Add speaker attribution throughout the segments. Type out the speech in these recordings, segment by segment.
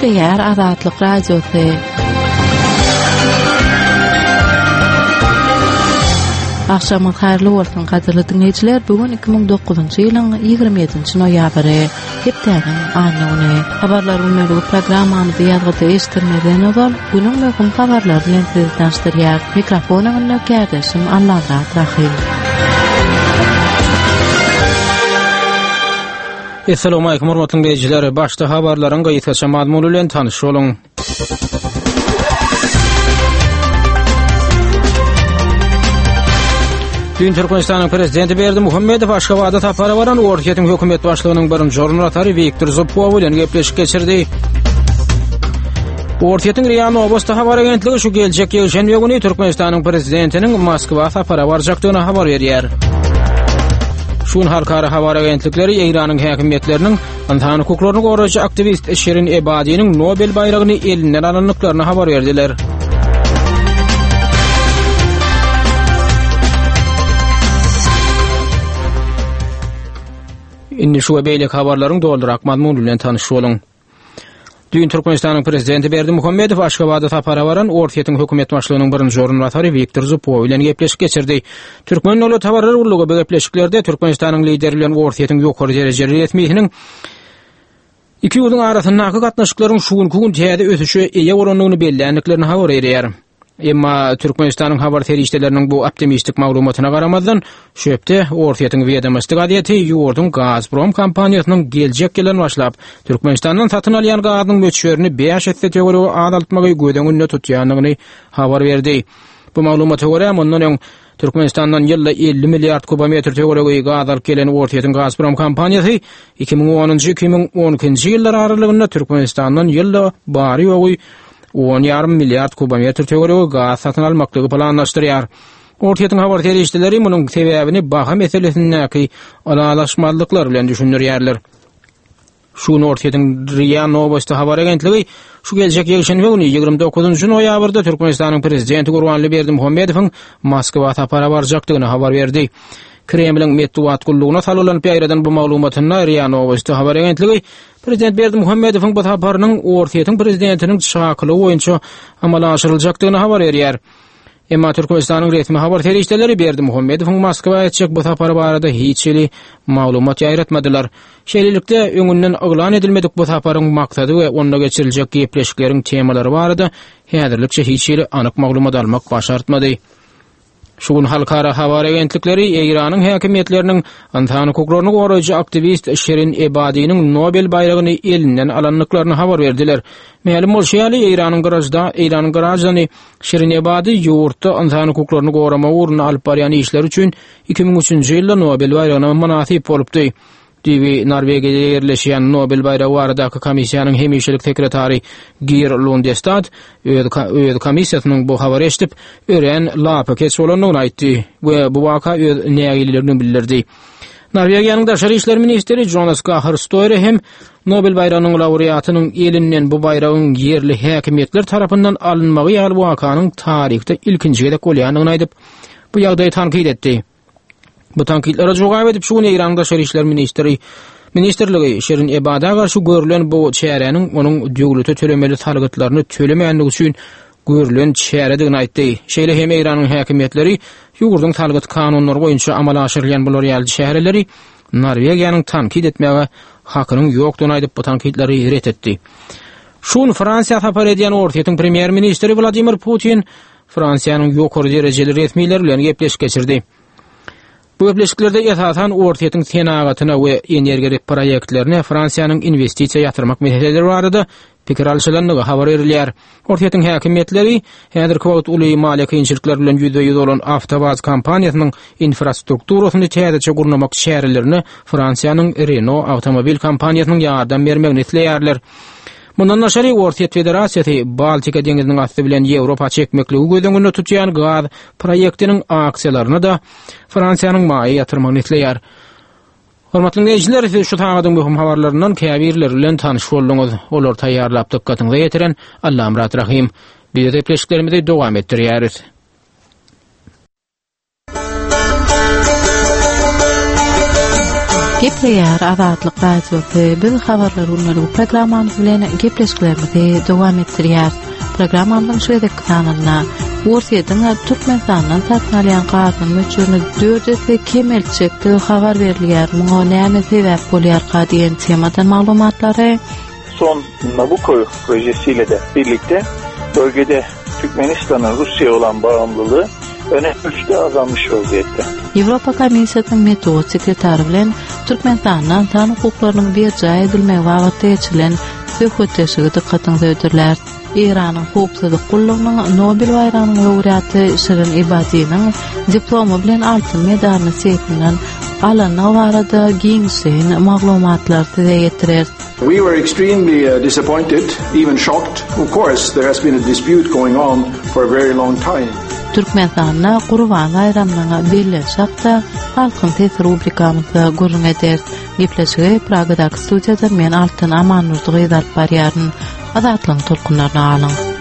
Speaker 1: Gepleýär Azatlyk Radiosy. Agşamyňyz haýyrly bolsun, gadyrly diňleýjiler! Bu gün 2009-njy ýylyň 27-nji noýabry, hepdäniň anna güni. Habarlar gündeligi programmamyzy ýazgyda eşitdirmezden ozal, günüň möhüm habarlary bilen sizi tanyşdyrýar. Mikrofon öňünde kärdeşim Allamyrat Rahym.
Speaker 2: Essalawmalikim hormatly diňleýjiler! Başda habarlaryň gysgaça mazmuny bilen tanyş boluň. Düýn Türkmenistanyň Prezidenti Berdimuhamedow Aşgabada sapara baran Orsýetiň hökümet başlygynyň birinji orunbasary Wiktor Zubkow bilen gepleşik geçirdi. Orsýetiň RIA Nowosti habar agentligi şu geljek ýekşenbe güni Türkmenistanyň Prezidentiniň Moskwa sapara barjakdygyny habar berýär. Şu gün halkara habar agentlikleri Eýranyň häkimiýetleriniň ynsan hukuklaryny goraýjy aktiwist Şirin Ebadiniň Nobel baýragyny elinden alandyklaryny habar berdiler. Indi şu we beýleki habarlaryň dolurak mazmuny bilen tanyş boluň. Düýn Türkmenistanyň Prezidenti Berdimuhamedow Aşgabada sapara baran Orsýetiň hökümet başlygynyň birinji orunbasary Wiktor Zubkow bilen gepleşik geçirdi. Türkmen döwlet habarlar gullugy bu gepleşiklerde Türkmenistanyň Lideri bilen Orsýetiň ýokary derejeli resmisiniň iki ýurduň arasyndaky gatnaşyklaryň şu günki gün täze ösüşe eýe bolandygyny belländiklerini habar berýär. Emma Türkmenistanyň habar serişdeleriniň bu optimistik maglumatyna garamazdan, şu hepde Orsýetiň Wedomosti gazeti ýurduň Gazprom kompaniýasynyň geljek ýyldan başlap Türkmenistandan satyn alýan gazynyň möçberini bäş esse töweregi azaltmagy göz öňünde tutýandygyny habar berdi. Bu maglumata görä, mundan öň Türkmenistandan ýylda 50 milliard kubometr töweregi gaz alyp gelen Orsýetiň Gazprom kompaniýasy 2010-njy, 2012-nji ýyllar aralygynda Türkmenistandan ýylda bary-ýogy on ýarym milliard kubometr töweregi gaz satyn almaklygy planlaşdyrýar. Orsýetiň habar serişdeleri munuň sebäbini baha meselesindäki ylalaşmazlyklar bilen düşündirýärler. Şu gün Orsýetiň RIA Nowosti habar agentligi şu geljek ýekşenbe güni, 29-njy noýabrda Türkmenistanyň Prezidenti Gurbanguly Berdimuhamedowyň Moskwa sapara barjakdygyny habar berdi. Kremliň metbugat gullugyna salgylanyp ýaýradan bu maglumatynda RIA Nowosti habar agentligi Prezident Berdimuhamedowyň bu saparynyň Orsýetiň prezidentiniň çakylygy boýunça amala aşyryljakdygyny habar berýär. Emma Türkmenistanyň resmi habar serişdeleri Berdimuhamedowyň Moskwa etjek bu sapary barada hiç hili maglumat ýaýratmadylar. Şeýlelikde, öňünden yglan edilmedik bu saparyň maksady we onda geçiriljek gepleşikleriň temalary barada häzirlikçe hiç hili anyk maglumat almak başartmady. Şu gün halkara habar agentlikleri Eýranyň häkimiýetleriniň ynsan hukuklaryny goraýjy aktiwist Şirin Ebadiniň Nobel baýragyny elinden alandyklaryny habar berdiler. Mälim bolşy ýaly, Eýranyň gražda Eýranyň graždany Şirin Ebadi ýurtda ynsan hukuklaryny goramak ugrunda alyp barýan işleri üçin 2003-nji ýylda Nobel baýragyna mynasyp bolupdy. Düýbi Norwegiýada ýerleşýän Nobel baýragy baradaky komissiýanyň hemişelik sekretary Gir Lundestad öz öz komissiýasynyň bu habary eşidip, örän lapykeç bolandygyny aýtdy we bu waka öz nägileligini bildirdi. Norwegiýanyň daşary işler ministri Jonas Gahr Stoýre hem Nobel baýragynyň laureatynyň elinden bu baýragyň ýerli häkimiýetler tarapyndan alynmagy ýaly wakanyň taryhda ilkinji gezek bolýandygyny aýdyp, bu ýagdaýy tankyt etdi. Bu tankytlara jogap edip, şu gün Eýranyň Daşary işler ministri ministrligi Şirin Ebada garşy görlen bu çäräniň onuň döwlete tölemeli salgytlaryny tölemändigi üçin görlen çäredigini aýtdy. Şeýle hem Eýranyň häkimiýetleri ýurduň salgyt kanunlary boýunça amala aşyrylýan bular ýaly çäreleri Norwegiýanyň tankyt etmäge hakynyň ýokdugyny aýdyp, bu tankytlary ret etdi. Şu gün Fransiýa sapar edýän Orsýetiň premýer-ministri Wladimir Putin Fransiýanyň ýokary derejeli resmileri bilen gepleşik geçirdi. Bu gepleşiklerde esasan Orsýetiň senagatyna we energiýa proýektlerine Fransiýanyň inwestisiýa ýatyrmak meseleleri barada pikir alşylandygy habar berilýär. Orsýetiň häkimiýetleri häzirki wagt uly maliýe kynçylyklary bilen ýüzbe-ýüz bolan Awtowaz kompaniýasynyň infrastrukturasyny täzeçe gurnamak çärelerine Fransiýanyň Renault awtomobil kompaniýasynyň ýardam bermegini isleýärler. Mundan daşary, Orsýet Federasiýasy Baltika deňziniň asty bilen Ýewropa çekmekligi göz öňünde tutýan gaz proýektiniň aksiýalaryna-da Fransiýanyň maýa ýatyrmagyny isleýär. Hormatly diňleýjiler, siz şu sagadyň möhüm habarlaryndan käbirleri bilen tanyş bolduňyz. Olary taýýarlap dykgatyňyza ýetiren Allamyrat Rahym. Biz gepleşiklerimizi dowam etdirýäris.
Speaker 1: Gepleýär Azatlyk Radiosy. Biz habarlar günlük programmamyz bilen gepleşiklerimizi dowam etdirýäris. Programmamyzyň şu gezekki sanynda Orsýetiň Türkmenistandan satyn alýan gazynyň möçberini dört esse kemeltjekdigi habar berilýär. Muňa näme sebäp bolýarka diýen temadan maglumatlary
Speaker 3: Son Nabucco projesiyle de birlikte bölgede Türkmenistan'ın Rusya'ya olan bağımlılığı önemli ölçüde azalmış vaziyette.
Speaker 1: Ýewropa Komissiýasynyň metbugat sekretary bilen Türkmenistanda ynsan hukuklarynyň berjaý edilmegi babatda geçirilen söhbetdeşligi dykgatyňyza hödürläris. Eýranyň howpsuzlyk gullugynyň Nobel baýragynyň laureaty Şirin Ebadiniň diplomy bilen altyn medalyny seýfinden alandygy barada giňişleýin maglumatlary size ýetireris.
Speaker 4: We were extremely uh, disappointed, even shocked. Of course, there has been a dispute going on for a very long time.
Speaker 1: Türkmenistanda Gurban baýramynyň bellenişi hakda Halkyň sesi rubrikamyzda gürrüň ederis. Gepleşigi Pragadaky studiýadan men Altyn Amandurdy gyz alyp barýaryn. Azatlygyň tolkunlaryna galyň.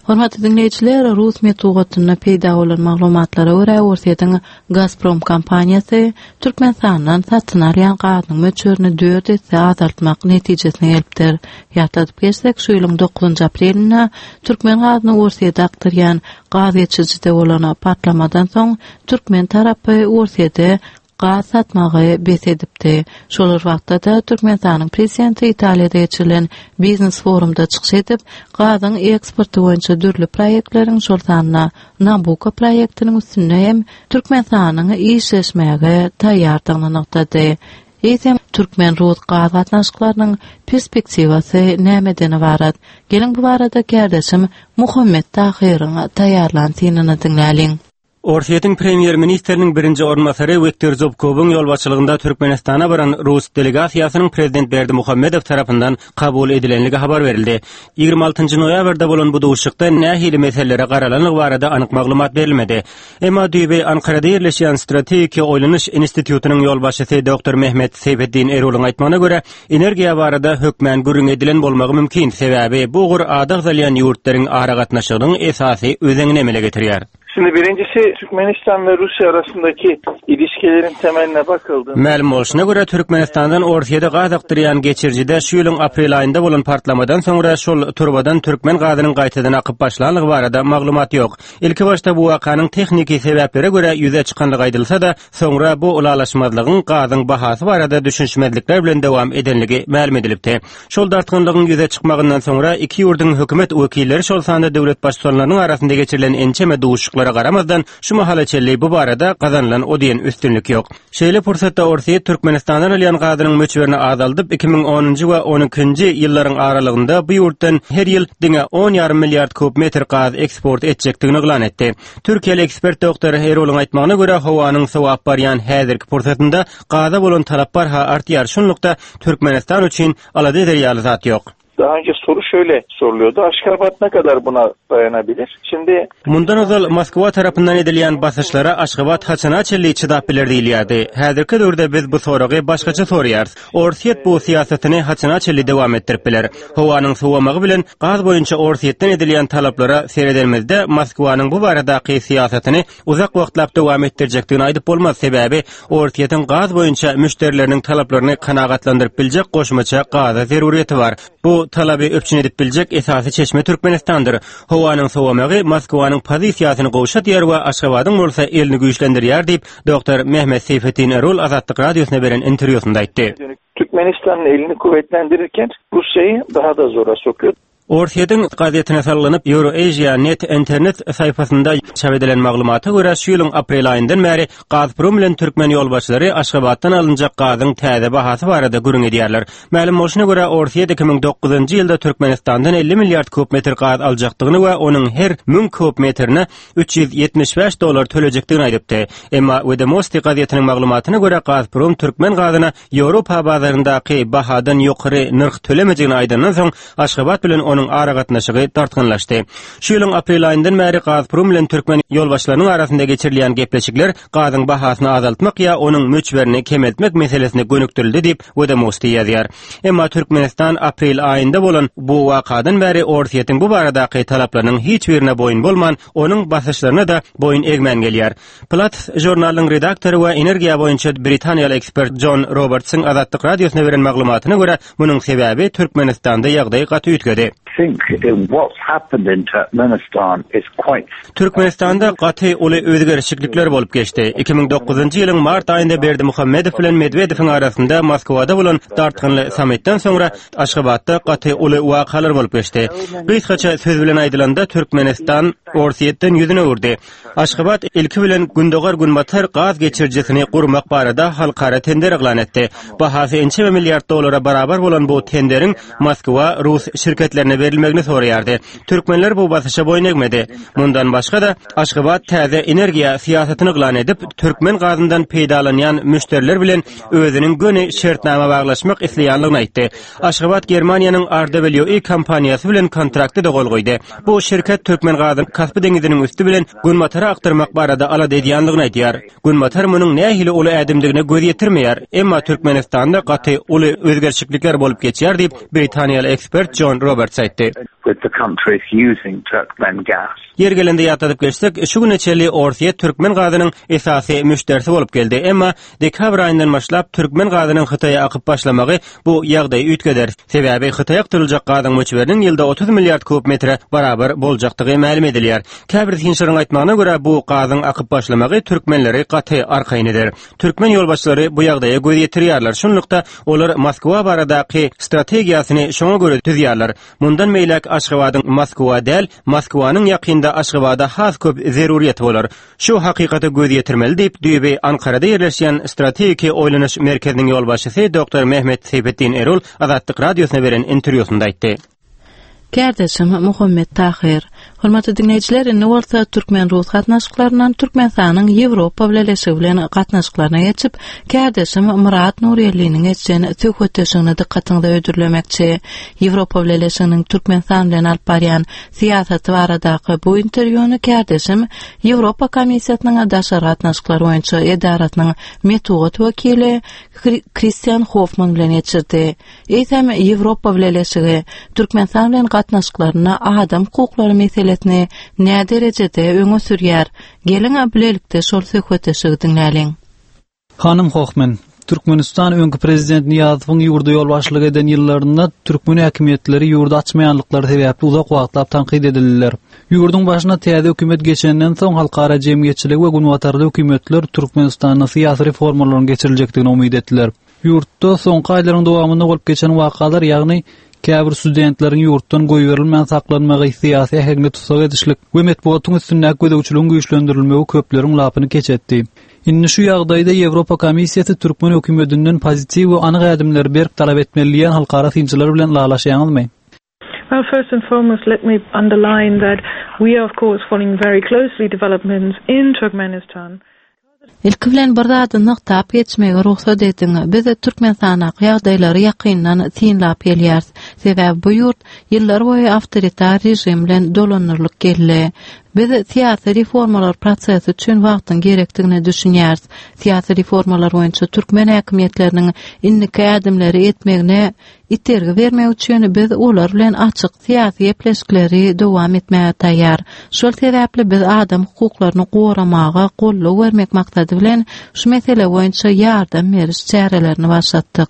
Speaker 1: Hormatly diňleýjiler, rus metbugatynda peýda bolan maglumatlara görä, Orsýetiň Gazprom kompaniýasy Türkmenistandan satyn alýan gazynyň möçberini dört esse azaltmak netijesine gelipdir. Ýatladyp geçsek, şu ýylyň dokuzynjy aprelinde türkmen gazyny Orsýete akdyrýan gaz geçirijide bolan partlamadan soň, türkmen tarapy Orsýete gaz satmagy bes edipdi. Şol bir wagtda-da, Türkmenistanyň Prezidenti Italiýada geçirilen biznes-forumda çykyş edip, gazyň eksporty boýunça dürli proýektleriň, şol sanda Nabucco proýektiniň üstünde hem Türkmenistanyň işleşmäge taýýardygyny nygtady. Eýsem, türkmen-rus gaz gatnaşyklarynyň perspektiwasy nämeden ybarat? Geliň, bu barada kärdeşim Muhammet Tahyryň taýýarlan synyny diňläliň.
Speaker 5: Orsýetiň premýer-ministriniň birinji orunbasary Wiktor Zubkowyň ýolbaşçylygynda Türkmenistana baran rus delegasiýasynyň prezident Berdimuhamedow tarapyndan kabul edilenligi habar berildi. 26 noýabrda bolan bu duşuşykda nähili meselelere garalanlygy barada anyk maglumat berilmedi. Emma düýbi Ankarada ýerleşýän Strategiki oýlanyş institutynyň ýolbaşçysy doktor Mehmet Seýfeddin Erulyň aýtmagyna görä, energiýa barada hökmän gürrüň edilen bolmagy mümkin, sebäbi bu ugur ady agzalýan ýurtlaryň aragatnaşygynyň esasy özenini emele getirýär.
Speaker 3: Şimdi birincisi Türkmenistan ve Rusya arasındaki ilişkilerin temeline bakıldığında...
Speaker 5: Mälim bolşuna görä, Türkmenistandan Orsýete gaz akdyrýan geçirijide şu ýylyň aprel aýynda bolan partlamadan soňra şol turbadan türkmen gazynyň gaýtadan akyp başlanlygy barada maglumat ýok. Ilkibaşda bu wakanyň tehniki sebäplere görä ýüze çykanlygy aýdylsa-da, soňra bu ylalaşmazlygyň gazyň bahasy barada düşünişmezlikler bilen dowam edenligi mälim edilipdi. Şol dartgynlygyň ýüze çykmagyndan soňra iki ýurduň hökümet wekilleri, şol sanda döwlet Baştutanlarynyň arasynda geçirilen ençeme duşuşyklara garamazdan, şu mahala çenli bu barada gazanylan o diýen üstünlik ýok. Şeýle pursatda Orsýet Türkmenistandan alýan gazynyň möçberini azaldyp, 2010-njy we on ikinji ýyllaryň aralygynda bu ýurtdan her ýyl diňe on ýarym milliard kub metr gaz eksport etjekdigini yglan etdi. Türkiýeli ekspert doktor Erolyň aýtmagyna görä, howanyň sowap barýan häzirki pursatynda gaza bolan talap barha artýar, şunlukda Türkmenistan üçin alada eder ýaly zat ýok.
Speaker 3: Daha önce soru şöyle soruluyordu. Aşgabat ne kadar buna dayanabilir? Şimdi
Speaker 5: Mundan ozal Moskwa tarapyndan edilýän basyşlara Aşgabat haçana çenli çydap biler diýilýärdi. Häzirki döwürde biz bu soragy başgaça soraýarys. Orsýet bu syýasatyny haçana çenli dowam etdirip biler? Howanyň sowamagy bilen gaz boýunça Orsýetden edilýän talaplara seredenimizde Moskwanyň bu baradaky syýasatyny uzak wagtlap dowam etdirjekdigini aýdyp bolmaz, sebäbi Orsýetiň gaz boýunça müşderileriniň talaplaryny kanagatlandyryp biljek goşmaça gaza zerurýeti bar. Bu talaby üpjün edip biljek esasy çeşme Türkmenistandyr. Howanyň sowamagy Moskwanyň pozisiýasyny gowşadýar we Aşgabadyň bolsa elini güýçlendirýär diýip, doktor Mehmet Seýfetdin Erol Azatlyk Radiosyna beren interwýusynda aýtdy.
Speaker 3: Türkmenistanyň elini kuvvetlendirirken Russiýaýy daha da zora sokuyor.
Speaker 5: Orsýetiň gazetine salgylanyp, Euroasia. Net internet saýpasynda çap edilen maglumata görä, şu ýylyň aprel aýyndan bäri Gazprom bilen türkmen ýolbaşçylary Aşgabatdan alynjak gazyň täze bahasy barada gürrüň edýärler. Mälim bolşuna görä, Orsýet 2009-njy ýylda Türkmenistandan 50 milliard kub metr gaz aljakdygyny we onuň her 1000 kub metrine 375 dollar tölejekdigini aýdypdy. Emma Wedomosti gazetiniň maglumatyna görä, Gazprom türkmen gazyna Ýewropa bazaryndaky bahadan ýokary nyrh tölemejegini aýdandan soň, Aşgabat bilen onuň. başlygynyň aragatnaşygy dartgynlaşdy. Şu ýylyň aprel aýyndan bäri Gazprom bilen türkmen ýolbaşçylarynyň arasynda geçirilýän gepleşikler gazyň bahasyny azaltmak ýa onuň möçberini kemeltmek meselesine gönükdirildi diýip, Wedomosti ýazýar. Emma Türkmenistan aprel aýynda bolan bu wakadan bäri Orsýetiň bu baradaky talaplarynyň hiç birine boýun bolman, onuň basyşlaryna-da boýun egmän gelýär. Platts žurnalynyň redaktory we energiýa boýunça britaniýaly ekspert Jon Robertsyň Azatlyk Radiosyna beren maglumatyna görä, munuň sebäbi Türkmenistanda ýagdaý gaty üýtgedi. Türkmenistanda gaty uly özgerişiklikler bolup geçdi. 2009-njy ýylyň mart aýynda Berdimuhamedow bilen Medwedewiň arasynda Moskwada bolan dartgynly sammitden soňra Aşgabatda gaty uly wakalar bolup geçdi. Gysgaça söz bilen aýdylanda, Türkmenistan Orsýetden ýüzüni öwürdi. Aşgabat ilki bilen Gündogar-Günbatar gaz geçirijisini gurmak barada halkara tender yglan etdi. Bahasy ençeme milliard dollara barabar bolan bu tenderiň Moskwa rus şirketlerine berilmegini soraýardy. Türkmenler bu basyşa boýun egmedi. Mundan başga-da, Aşgabat täze energiýa syýasatyny yglan edip, türkmen gazyndan peýdalanýan müşderiler bilen özüniň göni şertnama baglaşmak isleýänligini aýtdy. Aşgabat Germaniýanyň RWE kompaniýasy bilen kontrakta-da gol goýdy. Bu şirket türkmen gazyny Kaspi deňiziniň üsti bilen Günbatara akdyrmak barada alada edýändigini aýdýar. Günbatar munuň nähili uly ädimdigine göz ýetirmeýär, emma Türkmenistanda gaty uly özgerişiklikler bolup geçýär diýip, britaniýaly ekspert Jon Roberts aýtdy. Ýeri gelende ýatladyp geçsek, şu güne çenli Orsýet türkmen gazynyň esasy müşderisi bolup geldi, emma dekabr aýyndan başlap türkmen gazynyň Hytaýa akyp başlamagy bu ýagdaýy üýtgeder. Sebäbi Hytaýa akdyryljak gazyň möçberiniň ýylda 30 milliard kub metre barabar boljakdygy mälim edilýär. Käbir synçylaryň aýtmagyna görä, bu gazyň akyp başlamagy türkmenleri gaty arkaýyn eder. Türkmen ýolbaşçylary bu ýagdaýa göz ýetirýärler. Şunlukda, olar Moskwa baradaky strategiýasyny şoňa görä düzýärler. Mundan beýläk Aşgabadyň Moskwa däl, Moskwanyň ýakynda Aşgabada has köp zerurýeti bolar. Şu hakykata göz ýetirmeli diýip, düýbi Ankarada ýerleşýän Strategiki oýlanyş merkeziniň ýolbaşçysy doktor Mehmet Seýfetdin Erol Azatlyk Radiosyna beren interwýusynda aýtdy.
Speaker 1: Kärdeşim Muhammet Tahyr. Hormatly diňleýjiler, indi bolsa türkmen-rus gatnaşyklaryndan Türkmenistanyň Ýewropa Bileleşigi bilen gatnaşyklaryna geçip, kärdeşim Myrat Nurýelliniň geçen söhbetdeşligini dykgatyňyza hödürlemekçi. Ýewropa Bileleşiginiň Türkmenistan bilen alyp barýan syýasaty baradaky bu interwýuny kärdeşim Ýewropa Komissiýasynyň daşary gatnaşyklar boýunça edarasynyň metbugat wekili Kristian Hofman bilen geçirdi. Eýsem, Ýewropa Bileleşigi Türkmenistan bilen gatnaşyklarynda adam hukuklary meselesini näderejede öňe sürýär? Geliň, bilelikde şol söhbetdeşligi diňläliň.
Speaker 6: Hanym Hohmann, Türkmenistan öňki prezident Nyýazowyň ýurda ýolbaşçylyk eden ýyllarynda türkmen häkimiýetleri ýurdy açmaýanlyklary sebäpli uzak wagtlap tankyt edildiler. Ýurduň başyna täze hökümet geçenden soň halkara jemgyýetçiligi we günbatarly hökümetler Türkmenistanda syýasy reformalaryň geçiriljekdigine umyt etdiler. Ýurtda soňky aýlaryň dowamynda bolup geçen wakalar, ýagny käbir studentleriň ýurtdan goýberilmän saklanmagy, syýasy äheňde tussag edişlik we metbugatyň üstündäki gözegçiligiň güýçlendirilmegi köpleriň lapyny keç etdi. Indi şu ýagdaýda Ýewropa Komissiýasy türkmen hökümedinden pozitiw we anyk ädimleri berk talap etmeli diýýän halkara synçylar bilen ylalaşýaňyzmy?
Speaker 7: Well, first and foremost, let me underline that we are of course following very closely developments in Turkmenistan.
Speaker 1: Ilki bilen bir zady nygtap geçmege rugsat ediň, biz Türkmenistandaky ýagdaýlary ýakyndan synlap gelýäris. Sebäbi bu ýurt ýyllar boýy awtoritar režim bilen dolandyrylyp geldi. Biz syýasy reformalar prosesi üçin wagtyň gerekdigine düşünýäris. Syýasy reformalar boýunça türkmen häkimiýetleriniň indiki ädimleri etmegine itergi bermek üçin biz olar bilen açyk syýasy gepleşikleri dowam etmäge taýýar. Şol sebäpli biz adam hukuklaryny goramaga goldaw bermek maksady bilen şu mesele boýunça ýardam beriş çärelerini başlatdyk.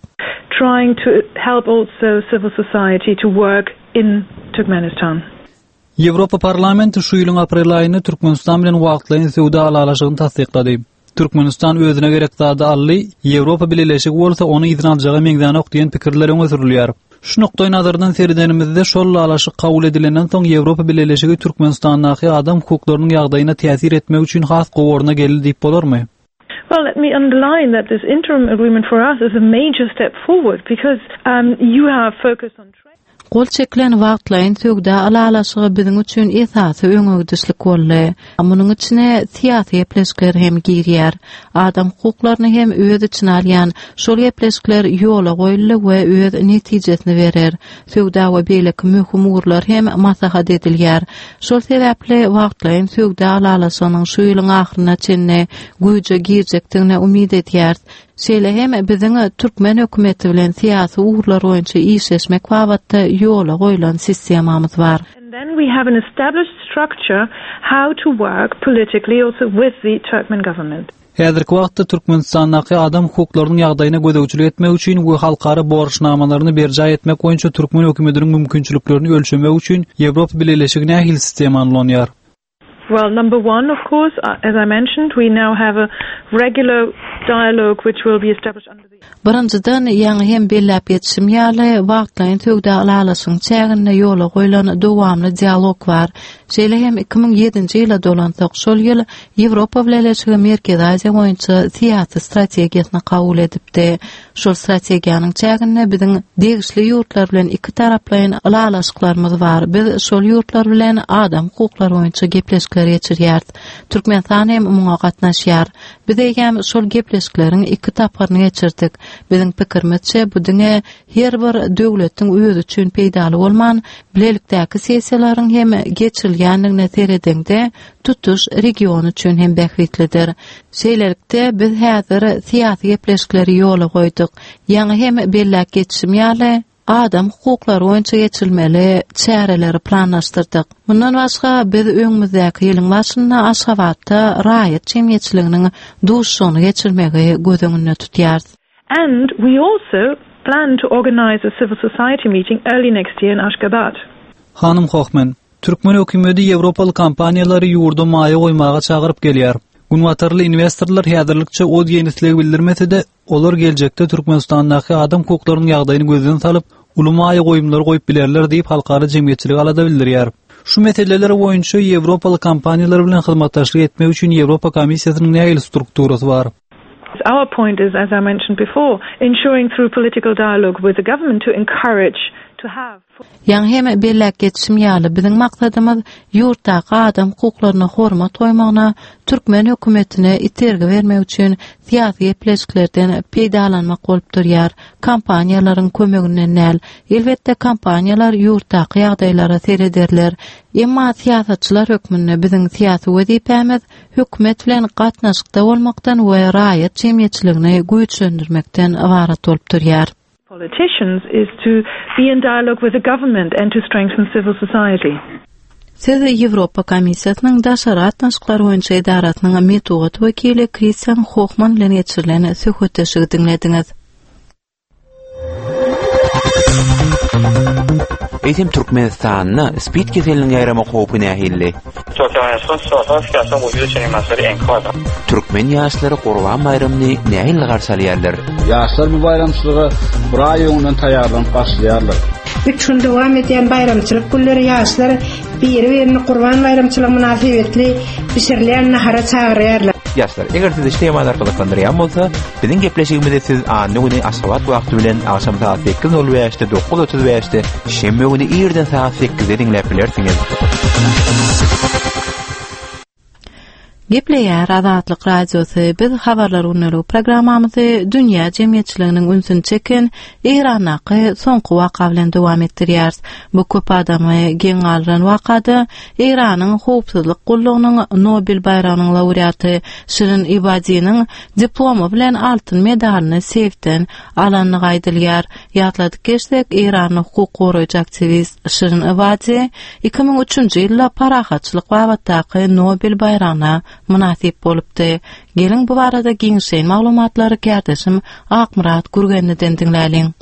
Speaker 7: Trying to help also civil society to work in Turkmenistan.
Speaker 6: Ýewropa Parlamenti şu ýylyň aprel aýynda Türkmenistan bilen wagtlaýyn söwda ylalaşygyny tassyklady. Türkmenistan özüne gerek zady aldy, Ýewropa Bileleşigi bolsa ony yzyna aljaga meňzänok diýen pikirler öňe sürülýär. Şu nukdaýnazardan seredenimizde şol ylalaşyk kabul edilenden soň Ýewropa Bileleşigi Türkmenistandaky adam hukuklarynyň ýagdaýyna täsir etmek üçin has gowy orna geldi diýip bolarmy?
Speaker 7: Well, let me underline that this interim agreement for us is a major step forward because um, you have focused on trade.
Speaker 1: Gol çekilen wagtlaýyn söwda ylalaşygy biziň üçin esasy öňegidişlik boldy. Munuň içine syýasy gepleşikler hem girýär. Adam hukuklaryny hem öz içine alýan şol gepleşikler ýola goýuldy we öz netijesini berer. Söwda we beýleki möhüm ugurlar hem maslahat edilýär. Şol sebäpli wagtlaýyn söwda ylalaşygynyň şu ýylyň ahyryna çenli güýje girjekdigine umyt edýäris. Şeýle hem biziň türkmen hökümeti bilen syýasy ugurlar boýunça işleşmek babatda ýola goýlan sistemamyz bar.
Speaker 7: And then we have an established structure how to work politically also with the Turkmen government.
Speaker 6: Häzirki wagtda Türkmenistandaky adam hukuklarynyň ýagdaýyna gözegçilik etmek üçin we halkara borçnamalaryny berjaý etmek boýunça türkmen hökümetiniň mümkinçiliklerini ölçemek üçin Ýewropa Bileleşigi nähili sistemany ulanýar?
Speaker 7: Well, number one, of course, uh, as I mentioned, we now have a regular dialogue which will be established under the
Speaker 1: Birinjiden, ýaňy hem belläp geçişim ýaly, wagtlaýyn söwda ylalaşygyň çäginde ýola goýlan dowamly dialog bar. Şeýle hem 2007-nji ýyla dolansak, şol ýyl Ýewropa Bileleşigi Merkezi Aziýa boýunça syýasy strategiýasyny kabul edipdi. Şol strategiýanyň çäginde biziň degişli ýurtlar bilen ikitaraplaýyn ylalaşyklarymyz bar. Biz şol ýurtlar bilen adam hukuklary boýunça gepleşikler geçirýäris. Türkmenistan hem muňa gatnaşýar. Biz eýýäm şol gepleşikleriň iki tapgyryny geçirdik. Biziň pikirimizçe, bu diňe her bir döwletiň özi üçin peýdaly bolman, bilelikdäki sessiýalaryň hem geçirilýändigine seredeňde, tutuş region üçin hem bähbitlidir. Şeýlelikde, biz häzir syýasy gepleşikleri ýola goýduk. Ýaňy hem belläp geçişim ýaly, adam hukuklary boýunça geçirilmeli çäreleri planlaşdyrdyk. Mundan başga, biz öňümizdäki ýylyň başynda Aşgabatda raýat jemgyýetçiliginiň duşuşygyny geçirmegi göz öňünde tutýarys.
Speaker 7: And we also plan to organize a civil society meeting early next year in Ashgabat.
Speaker 6: Hanym Hohmann, Türkmen hökümeti ýewropaly kompaniýalary ýurda maýa goýmaga çagyryp gelýär. Günbatarly inwestorlar häzirlikçe o diýen isleg bildirmese-de, olar geljekde Türkmenistandaky adam hukuklarynyň ýagdaýyny gözden salyp, uly maýa goýumlary goýup bilerler diýip halkara jemgyýetçiligi alada bildirýär. Şu meseleler boýunça ýewropaly kompaniýalar bilen hyzmatdaşlyk etmek üçin Ýewropa Komissiýasynyň nähili strukturasy bar?
Speaker 7: Our point is, as I mentioned before, ensuring through political dialogue with the government to encourage to have.
Speaker 1: Ýaňy hem belläp geçişim ýaly, biziň maksadymyz ýurtdaky adam hukuklaryna hormat goýmagyna türkmen hökümetine itergi bermek üçin syýasy gepleşiklerden peýdalanmak bolup durýar, kompaniýalaryň kömeginden däl. Elbetde, kompaniýalar ýurtdaky ýagdaýlara serederler. Emma syýasatçylar hökmünde biziň syýasy wezipämiz hökümet bilen gatnaşykda bolmakdan we raýat jemgyýetçiligini güýçlendirmekden ybarat bolup durýar.
Speaker 7: Politicians is to be in dialogue with the government and to strengthen civil society.
Speaker 1: Siz Ýewropa Komissiýasynyň Daşary gatnaşyklar boýunça edarasynyň metbugat wekili Kristian Hohmann bilen geçirilen söhbetdeşligi diňlediňiz.
Speaker 8: Eýsem Türkmenistanda spid keseliniň ýaýramak howpy nähili? Türkmen ýaşlary Gurban baýramyny nähili garşy alýarlar?
Speaker 4: Ýaşlar bu baýramçylyga bir aý öňünden taýýarlanyp başlaýarlar.
Speaker 9: Üç gün dowam edýän baýramçylyk günleri ýaşlar biri-birini Gurban baýramçylygy mynasybetli bişirilýän nahara çagyrýarlar.
Speaker 8: Ýaşlar, eger sizi şu temalar gyzyklandyrýan bolsa, biziň gepleşigimizi siz anna güni Aşgabat wagty bilen agşam sagat 8:05-de, 9:35-de, şenbe güni irden sagat 8-de diňläp bilersiňiz.
Speaker 1: Gepleýär Azatlyk Radiosy, biz Habarlar gündeligi programmamyzy dünýä jemgyýetçiliginiň ünsüni çeken Eýrandaky soňky waka bilen dowam etdirýäris. Bu köp adamy geň galdyran wakada Eýranyň howpsuzlyk gullugynyň Nobel baýragynyň laureaty Şirin Ibadiniň diplomy bilen altyn medalyny seýfden alandygy aýdylýar. Ýatladyp geçsek, eýranly hukuk goraýjy aktiwist Şirin Ebadi 2003-nji ýylda parahatçylyk babatdaky Nobel baýragyna mynasyp bolupdy. Geliň, bu barada giňişleýin maglumatlary kärdeşim Akmyrat Gürgenliden diňläliň.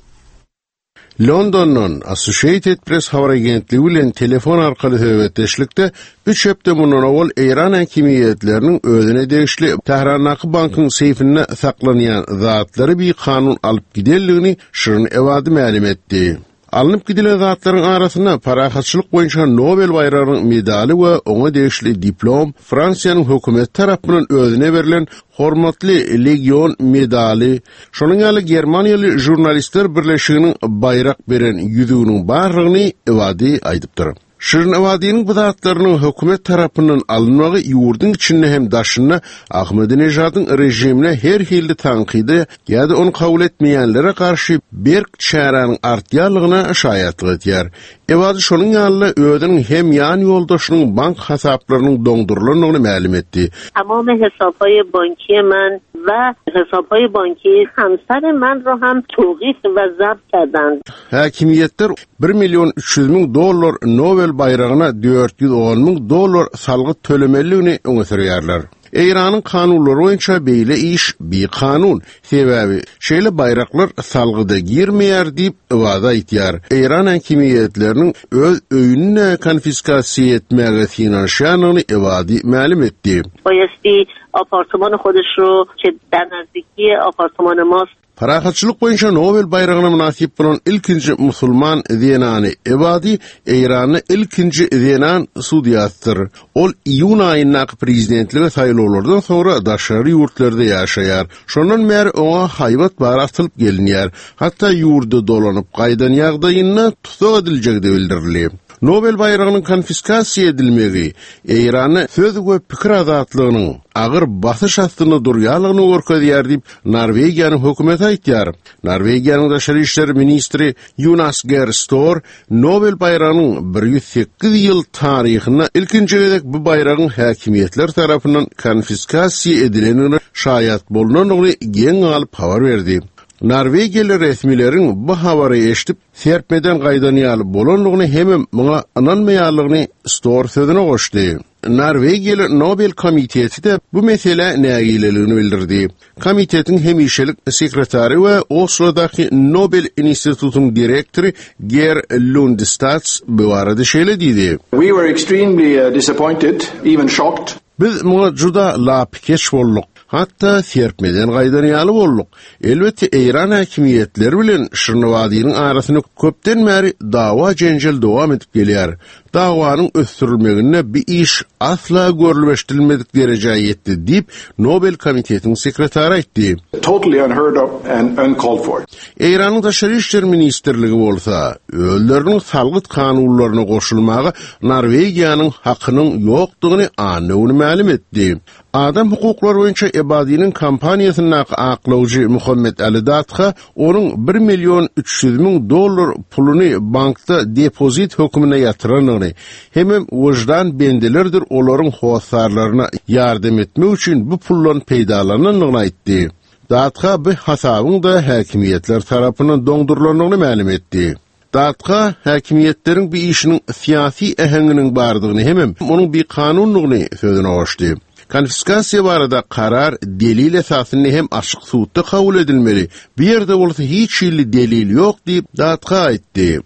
Speaker 10: Londondan Associated Press habar agentligi bilen telefon arkaly söhbetdeşlikde üç hepde mundan owal eýran häkimiýetleriniň özüne degişli Tährandaky bankyň seýfinde saklanýan zatlary bikanun alyp gidenligini Şirin Ebadi mälim etdi. Alnyp gidilen zatlaryň arasynda parahatçylyk boýunça Nobel baýragynyň medaly we oňa degişli diplom, Fransiýanyň hökümeti tarapyndan özüne berlen Hormatly legion medaly, şonuň ýaly Germaniýaly žurnalistler birleşiginiň baýrak beren ýüzüginiň barlygyny Ebadi aýdypdyr. Şirin Ebadiniň bu zatlarynyň hökümet tarapyndan alynmagy ýurduň içinde hem daşynda Ahmedinejadyň režimine her hilli tankyda ýa-da ony kabul etmeýänlere garşy berk çäräniň artýanlygyna şaýatlyk edýär. Ebadi şonuň ýaly-da özüniň hem ýan ýoldaşynyň bank hasaplarynyň doňdurylandygyny mälim etdi.
Speaker 11: Tamam hesabهای بانکی من و hesabهای بانکی همسر من را هم توقیف و ضبط کردند.
Speaker 10: Häkimiýetler bir million 300 müň dollar Nobel baýragyna 410 müň dollar salgyt tölemelidigini öňe sürýärler. Eýranyň kanunlary boýunça beýle iş bikanun, sebäbi şeýle baýraklar salgyda girmeýär diýip, Ebadi aýtýar. Eýran häkimiýetleriniň öz öýüni-de konfiskasiýa etmäge synanyşýandygyny Ebadi mälim etdi.
Speaker 11: بایستی آپارتمان خودش رو که در نزدیکی آپارتمان ماست
Speaker 10: Parahatçylyk boýunça Nobel baýragyna mynasyp bolan ilkinji musulman zenany Ebadi Eýranda ilkinji zenan sudýasydyr. Ol iýun aýyndaky prezidentlige saýlawlardan soňra daşary ýurtlarda ýaşaýar. Şondan bäri oňa haýbat bary atylyp gelinýär. Hatda ýurda dolanyp gaýdan ýagdaýynda tussag ediljegi-de bildirildi. Nobel baýragynyň konfiskasiýa edilmegi Eýranda söz we pikir azatlygynyň agyr basyş astynda durýanlygyny görkezýär diýip, Norwegiýanyň hökümeti aýtýar. Norwegiýanyň daşary işler ministri Ýunas Ger Stor Nobel baýragynyň 108 ýyl taryhynda ilkinji gezek bu baýragyň häkimiýetler tarapyndan konfiskasiýa edilendigine şaýat bolnandygyny geň galyp habar berdi. Norwegiýaly resmileriň bu habary eşidip, serpmeden gaýdan ýaly bolandygyny hemem muňa ynanmaýanlygyny Stor sözüne goşdy. Norwegiýaly Nobel komiteti-de bu meselä nägileligini bildirdi. Komitetiň hemişelik sekretary we Oslodaky Nobel institutynyň direktory Ger Lundstads bu barada şeýle diýdi.
Speaker 4: We were extremely disappointed, even shocked.
Speaker 10: Biz muňa juda lapykeç bolduk. Hatda serpmeden gaýdan ýaly bolduk. Elbetde, eýran häkimiýetleri bilen Şirnawadynyň arasynda köpden bäri dawa-jenjel dowam edip gelýär. Dawanyň ösdürilmeginde bi iş asla görlüp-eşidilmedik derejä ýetdi diýip, Nobel komitetiniň sekretary aýtdy.
Speaker 4: Totally unheard of and uncalled for.
Speaker 10: Eýranyň Daşary işler ministrligi bolsa, özleriniň salgyt kanunlaryna goşulmaga Norwegiýanyň hakynyň ýokdugyny anna güni mälim etdi. Adam hukuklary boýunça Ebadiniň kompaniýasyndaky aklawjy Muhammet Ali Dadha onuň bir million 300 müň dollar puluny bankda depozit hökmünde ýatyrandygyny hemem wyždan bendelerdir olaryň hossarlaryna ýardam etmek üçin bu puldan peýdalanandygyny aýtdy. Dadha bu hasabyň-da häkimiýetler tarapyndan doňdurylandygyny mälim etdi. Dadha häkimiýetleriň bu işiniň syýasy äheňiniň bardygyny hemem onuň bikanundygyny sözüne goşdy. Konfiskasiýa barada karar delil esasynda hem açyk sudda kabul edilmeli, bu ýerde bolsa hiç hili delil ýok diýip, Dadha aýtdy.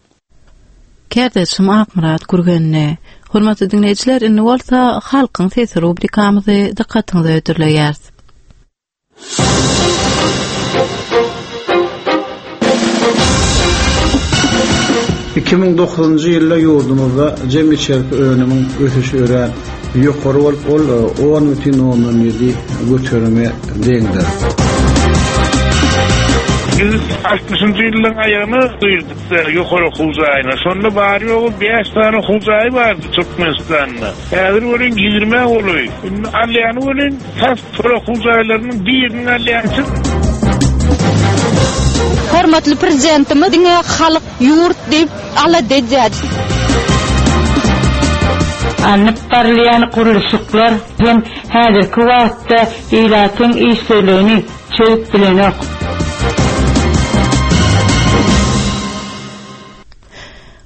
Speaker 1: Kärdeşim Akmyrat Gürgenli. Hormatly diňleýjiler, indi bolsa Halkyň sesi rubrikamyzy dykgatyňyza hödürleýäris.
Speaker 12: 2009-njy ýylda ýurdumyzda jemi içerki önümiň ösüşi örän ýokary bolup, ol 10,7 göterime deňdir.
Speaker 13: Biz altmyşynjy ýyllaryň aýagyna girdik-de ýokary okuw jaýyna. Şonda bary-ýogy bäş sany okuw jaýy bardy Türkmenistanda. Häzir welin ýigrimä golaý. Indi alýany welin tas Şol okuw jaýlarynyň birini alýançy.
Speaker 14: Hormatly Prezidentimiz diňe halk, ýurt diýip alada edýär.
Speaker 15: Alnyp barylýan gurluşyklar hem häzirki wagtda ilatyň işsizligini çözüp bilenok.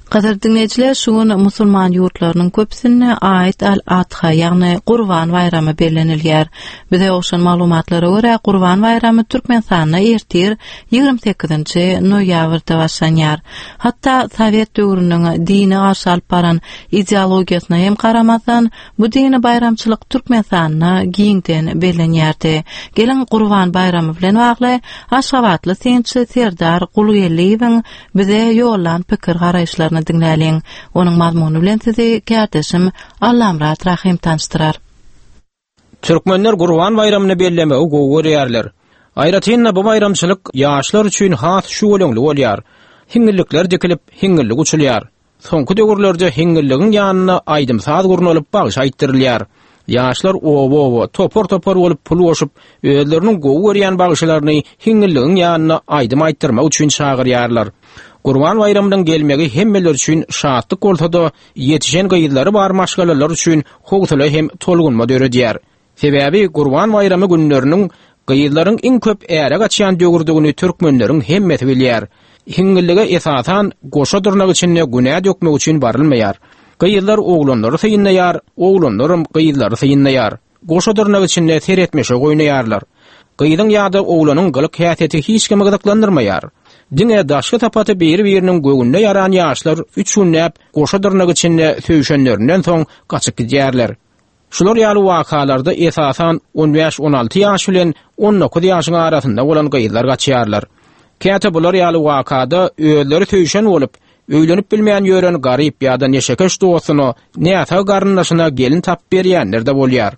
Speaker 1: Gadyrly diňleýjiler, şu gün musulman ýurtlarynyň köpüsinde Aid al-Adha, ýagny Gurban baýramy bellenilýär. Bize gowşan maglumatlara görä, Gurban baýramy Türkmenistanda ertir, 28-nji noýabrda başlanýar. Hatda sowet döwrüniň dine garşy alyp baran ideologiýasyna hem garamazdan, bu dini baýramçylyk Türkmenistanda giňden bellenýärdi. Geliň, Gurban baýramy bilen bagly aşgabatly synçy Serdar Gulgeldiýewiň Bize ýollan pikir-garaýyşlaryny diňläliň. Onuň mazmuny bilen sizi kärdeşim Allamyrat Rahym tanyşdyrar.
Speaker 2: Türkmenler Gurban baýramyny bellemegi gowy görýärler. Aýratyn-da bu baýramçylyk ýaşlar üçin has şüweleňli bolýar. Hiňňillikler dikilip, hiňňillik uçulýar. Soňky döwürlerde hiňňilligiň ýanynda aýdym-saz gurnalyp bagşy aýtdyrylýar. Ýaşlar oba-oba, topar-topar bolup pul goşup, özleriniň gowy görýän bagşylaryny hiňňilligiň ýanyna aýdym aýtdyrmak üçin çagyrýarlar. Gurban baýramynyň gelmegi hemmeler üçin şatlyk bolsa-da, ýetişen gyzlary bar maşgalalar üçin howsala hem tolgunma döredýär. Sebäbi Gurban baýramy günleriniň gyzlaryň iň köp äre gaçýan döwürdigini türkmenleriň hemmesi bilýär. Hiňňillige esasan goşa dyrnak içinde günä dökmek üçin barylmaýar. Gyzlar oglanlary synlaýar, oglanlaram gyzlary synlaýar. Goşa dyrnak içinde seretmeşek oýnaýarlar. Gyzyň ýa-da oglanyň gylyk-häsiýeti hiç kimi gyzyklandyrmaýar. Diňe daşky sypaty biri-biriniň göwnüne ýaran ýaşlar üç günläp goşa dyrnak içinde söýşenlerinden soň gaçyp gidýärler. Şular ýaly wakalarda esasan on bäş-on alty ýaş bilen 19 ýaşyň arasynda bolan gyzlar gaçýarlar. Käte bular ýaly wakada özleri söýşen bolup, öýlenip bilmän ýören garyp ýa-da neşekeş dostuna, näsag garyndaşyna gelin tapyp berýänler-de bolýar.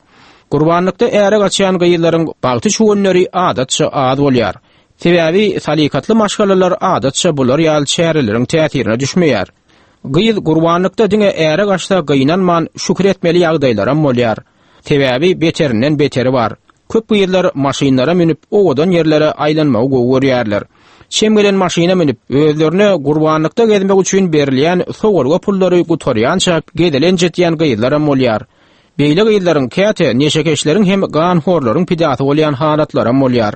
Speaker 2: Gurbanlykda äre gaçýan gyzlaryň bagty çüwenleri adatça az bolýar. Sebäbi salykatly maşgalalar adatça bular ýaly çäreleriň täsirine düşmeýär. Gyz gurbanlykda diňe äre gaçsa gynanman şükür etmeli ýagdaýlaram bolýar. Sebäbi beterinden beteri bar. Köp gyzlar maşynlara münüp owadan ýerlere aýlanmagy gowy görýärler. Çem gelen maşyna münüp, özlerine gurbanlykda gezmek üçin berilýän sowalga pullary gutarýança gezelenç etýän gyzlaram bolýar. Beýle gyzlaryň käte neşekeşleriň hem ganhorlaryň pidasy bolýan halatlaram bolýar.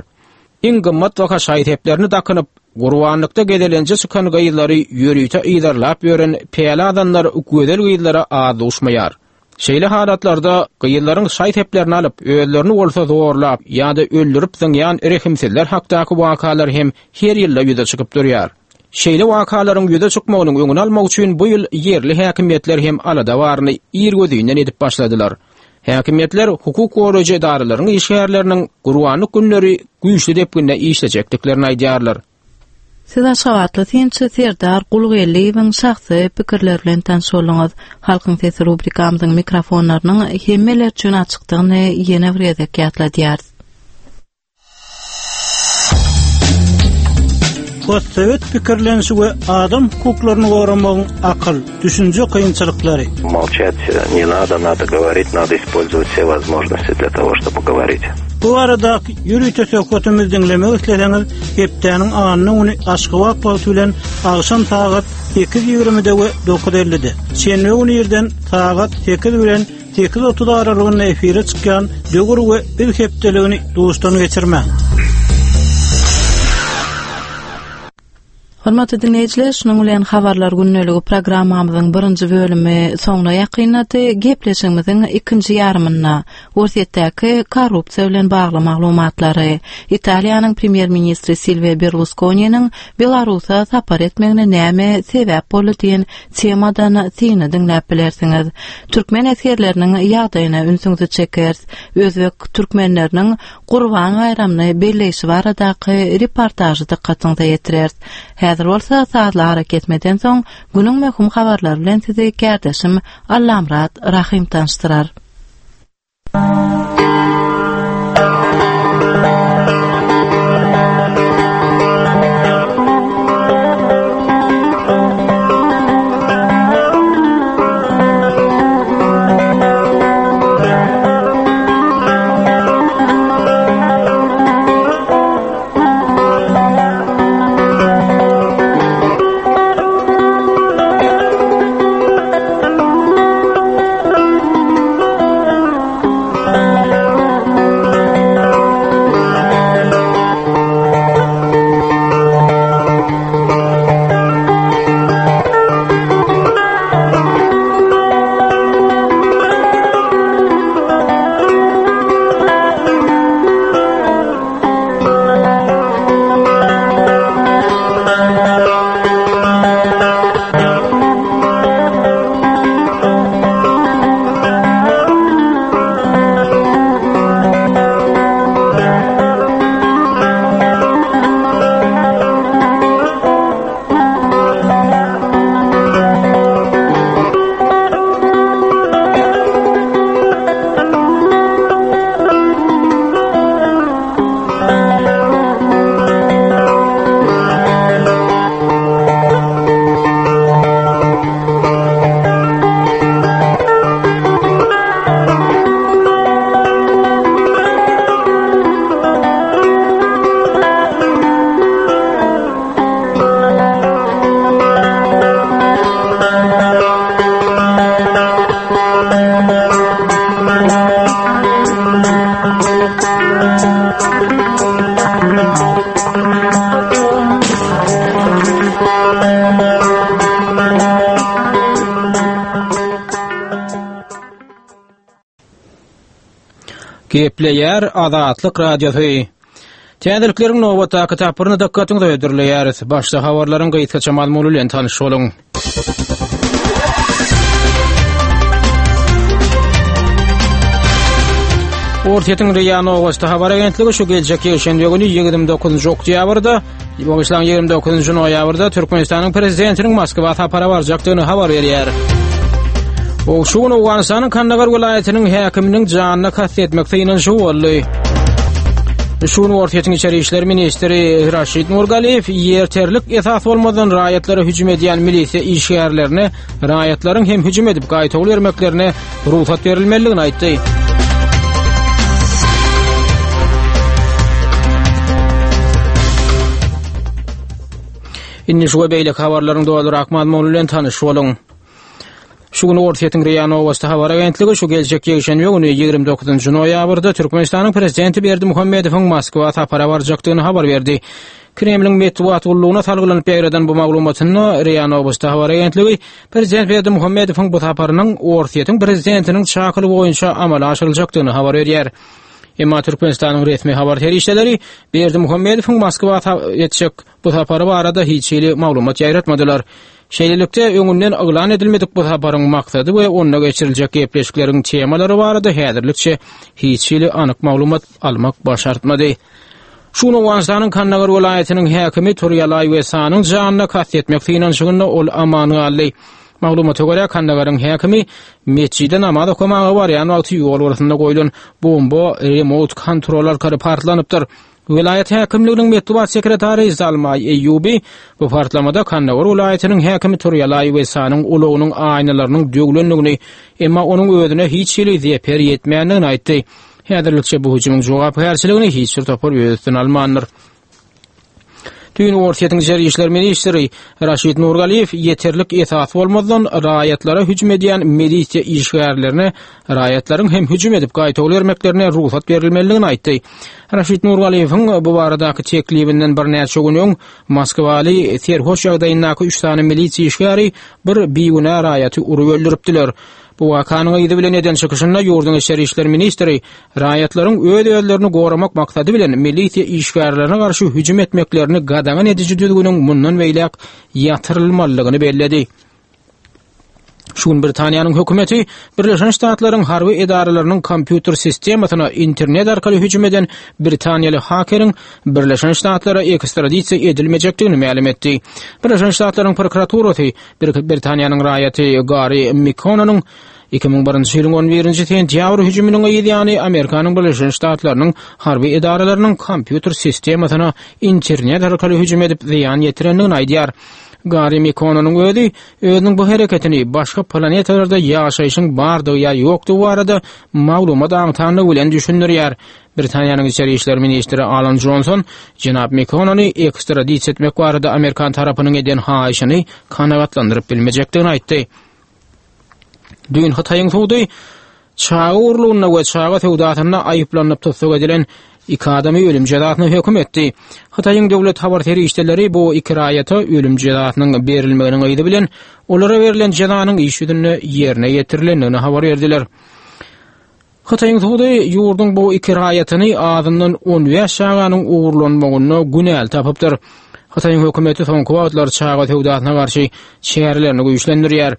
Speaker 2: Iň gymmatbaha şaý-seplerini dakynyp, gurbanlykda gezelenje çykan gyzlary ýörite yzarlap ýören päli azanlar gözel gyzlara az duşmaýar. Şeýle halatlarda gyzlaryň şaý-seplerini alyp, özlerini bolsa zorlap ýa-da öldürip zyňýan rehimsizler hakdaky wakalar hem her ýylda ýüze çykyp durýar. Şeýle wakalaryň ýüze çykmagynyň öňüni almak üçin bu ýyl ýerli häkimiýetler hem alada baryny irgözinden edip başladylar. Häkimiýetler hukuk goraýjy edaralaryň işgärleriniň Gurbanlyk günleri güýçli depginde işlejekdiklerini aýdýarlar.
Speaker 1: Siz aşgabatly synçy Serdar Gulgeldiýewiň şahsy pikirleri bilen tanyş bolduňyz. Halkyň sesi rubrikamyzyň mikrofonlarynyň hemmeler üçin açykdygyny ýene bir gezek ýatladýarys.
Speaker 12: Postsowet pikirlenişi we adam hukuklaryny goramagyň akyl, düşünje kynçylyklary.
Speaker 16: Молчать не надо, надо говорить, надо использовать все возможности для того, чтобы говорить.
Speaker 12: Bu baradaky ýörite söhbetimizi diňlemek isleseňiz, hepdäniň anna güni Aşgabat wagty bilen agşam sagat 8:20-de we 9:50-de, şenbe güni irden sagat 8 bilen 8.30 aralygynda efire çykýan Döwür we Biz hepdeligini duşdan geçirmäň.
Speaker 1: Hormatly diňleýjiler, şunuň bilen Habarlar gündeligi programmamyzyň birinji bölümi soňuna ýakynlady. Gepleşigimiziň ikinji ýarymynda Orsýetdäki korrupsiýa bilen bagly maglumatlary, Italiýanyň premýer-ministri Silwio Berluskoniniň Belarusa sapar etmegine näme sebäp boldy diýen temadan syny diňläp bilersiňiz. Türkmen esgerleriniň ýagdaýyna ünsüňizi çekeris. Özbek türkmenleriniň Gurban baýramyny belleýşi baradaky reportažy dykgatyňyza ýetireris. Häzir bolsa sazly arakesmeden soň günüň möhüm habarlary bilen sizi kärdeşim Allamyrat Rahym tanyşdyrar.
Speaker 2: Gepleýär Azatlyk Radiosy. Täzelikleriň nobatdaky tapgyryny dykgatyňyza hödürleýäris. Başda habarlaryň gysgaça mazmuny bilen tanyş boluň. Orsýetiň RIA Nowosti habar agentligi şu geljek ýekşenbe güni 29 oktýabrda, bagyşlaň 29 noýabrda Türkmenistanyň prezidentiniň Moskwa sapara barjakdygyny habar berýär. O şu gün Owganystanyň Kandagar welaýatynyň häkiminiň janyna kast etmek synanyşygy boldy. Şu gün Orsýetiň içeri işler ministri Raşid Nurgaliýew ýerterlik esas bolmazdan raýatlara hüjüm edýän milisiýa işgärlerine raýatlaryň hem hüjüm edip gaýtawul bermeklerine rugsat berilmelidigini aýtdy. Indi şu we beýleki habarlaryň dolurak mazmuny bilen tanyş boluň. Şu gün Orsýetiň RIA Nowosti habar agentligi şu geljek ýekşenbe güni 29 noýabrda Türkmenistanyň prezidenti Berdimuhamedowyň Moskwa sapara barjakdygyny habar berdi. Kremliň metbugat gullugyna salgylanyp ýaýradan bu maglumatynda RIA Nowosti habar agentligi prezident Berdimuhamedowyň bu saparynyň Orsýetiň prezidentiniň çakylygy boýunça amala aşyryljakdygyny habar berýär. Emma Türkmenistanyň resmi habar serişdeleri Berdimuhamedowyň Moskwa etjek bu sapary barada hiç hili maglumat ýaýratmadylar. Şeýlelikde, öňünden yglan edilmedik bu saparyň maksady we onda geçiriljek gepleşikleriň temalary barada häzirlikçe hiç hili anyk maglumat almak başartmady. Şu gün Owganystanyň Kandagar welaýatynyň häkimi Turýalaý Wesanyň janyna kast etmek synanyşygynda ol aman galdy. Maglumata görä, Kandagaryň häkimi metjide namaz okamaga barýan wagty ýol gyrasynda goýlan bomba remot kontrol arkaly partlanypdyr. Welaýat häkimliginiň metbugat sekretary Zalmaý Eýýubi bu partlamada Kandagar welaýatynyň häkimi Turýalaý Wesanyň ulagynyň aýnalarynyň döwlendigini, emma onuň özüne hiç hili zeper ýetmändigini aýtdy. Häzirlikçe bu hüjümiň jogapkärçiligini hiç bir topar öz üstüne almandyr. Düýn Orsýetiň içeri işler ministri Raşid Nurgaliýew ýeterlik esas bolmazdan raýatlara hüjüm edýän milisiýa işgärlerine raýatlaryň hem hüjüm edip gaýtawul bermeklerine rugsat berilmelidigini aýtdy. Raşid Nurgaliýewiň bu baradaky teklibinden birnäçe gün öň Moskwaly serhoş ýagdaýyndaky üç sany milisiýa işgäri bir bigünä raýaty urup öldüripdiler. Bu wakanyň yzy bilen eden çykyşynda ýurduň içeri işler ministri raýatlaryň öz-özlerini goramak maksady bilen milisiýa işgärlerine garşy hüjüm etmeklerini gadagan ediji düzgüniň mundan beýläk ýatyrylmalydygyny belledi. Şu gün Britaniýanyň hökümeti Birleşen Ştatlaryň harby edaralarynyň kompýuter sistemasyna internet arkaly hüjüm eden britaniýaly hakeriň Birleşen Ştatlara ekstradisiýa edilmejekdigini mälim etdi. Birleşen Ştatlaryň prokuraturasy Britaniýanyň raýaty Gari Mikkononyň 2001-nji ýylyň 11-nji sentýabr hüjüminiň yz ýany Amerikanyň Birleşen Ştatlarynyň harby edaralarynyň kompýuter sistemasyna internet arkaly hüjüm edip zyýan ýetirendigini aýdýar. Gari Mikkononyň özi özüniň bu hereketini başga planetalarda ýaşaýşyň bardygy ýa ýokdugy barada maglumat aňtanlygy bilen düşündirýär. Britaniýanyň içeri işler ministri Alan Jonson jenap Mekonony ekstradisiýa etmek barada amerikan tarapynyň eden haýyşyny kanagatlandyryp bilmejekdigini aýtdy. Düýn Hytaýyň sudy çaga urlugynda we çaga söwdasynda aýyplanyp tussag edilen iki adamy ölüm jezasyna höküm etdi. Hytaýyň döwlet habar serişdeleri bu iki raýata ölüm jezasynyň berilmeginiň yzy bilen olara berlen jezanyň iş ýüzünde ýerine ýetirilendigini habar berdiler. Hytaýyň sudy ýurduň bu iki raýatyny azyndan 15 çaganyň ogurlanmagynda günäli tapypdyr. Hytaýyň hökümeti soňky wagtlar çaga söwdasyna garşy çärelerini güýçlendirýär.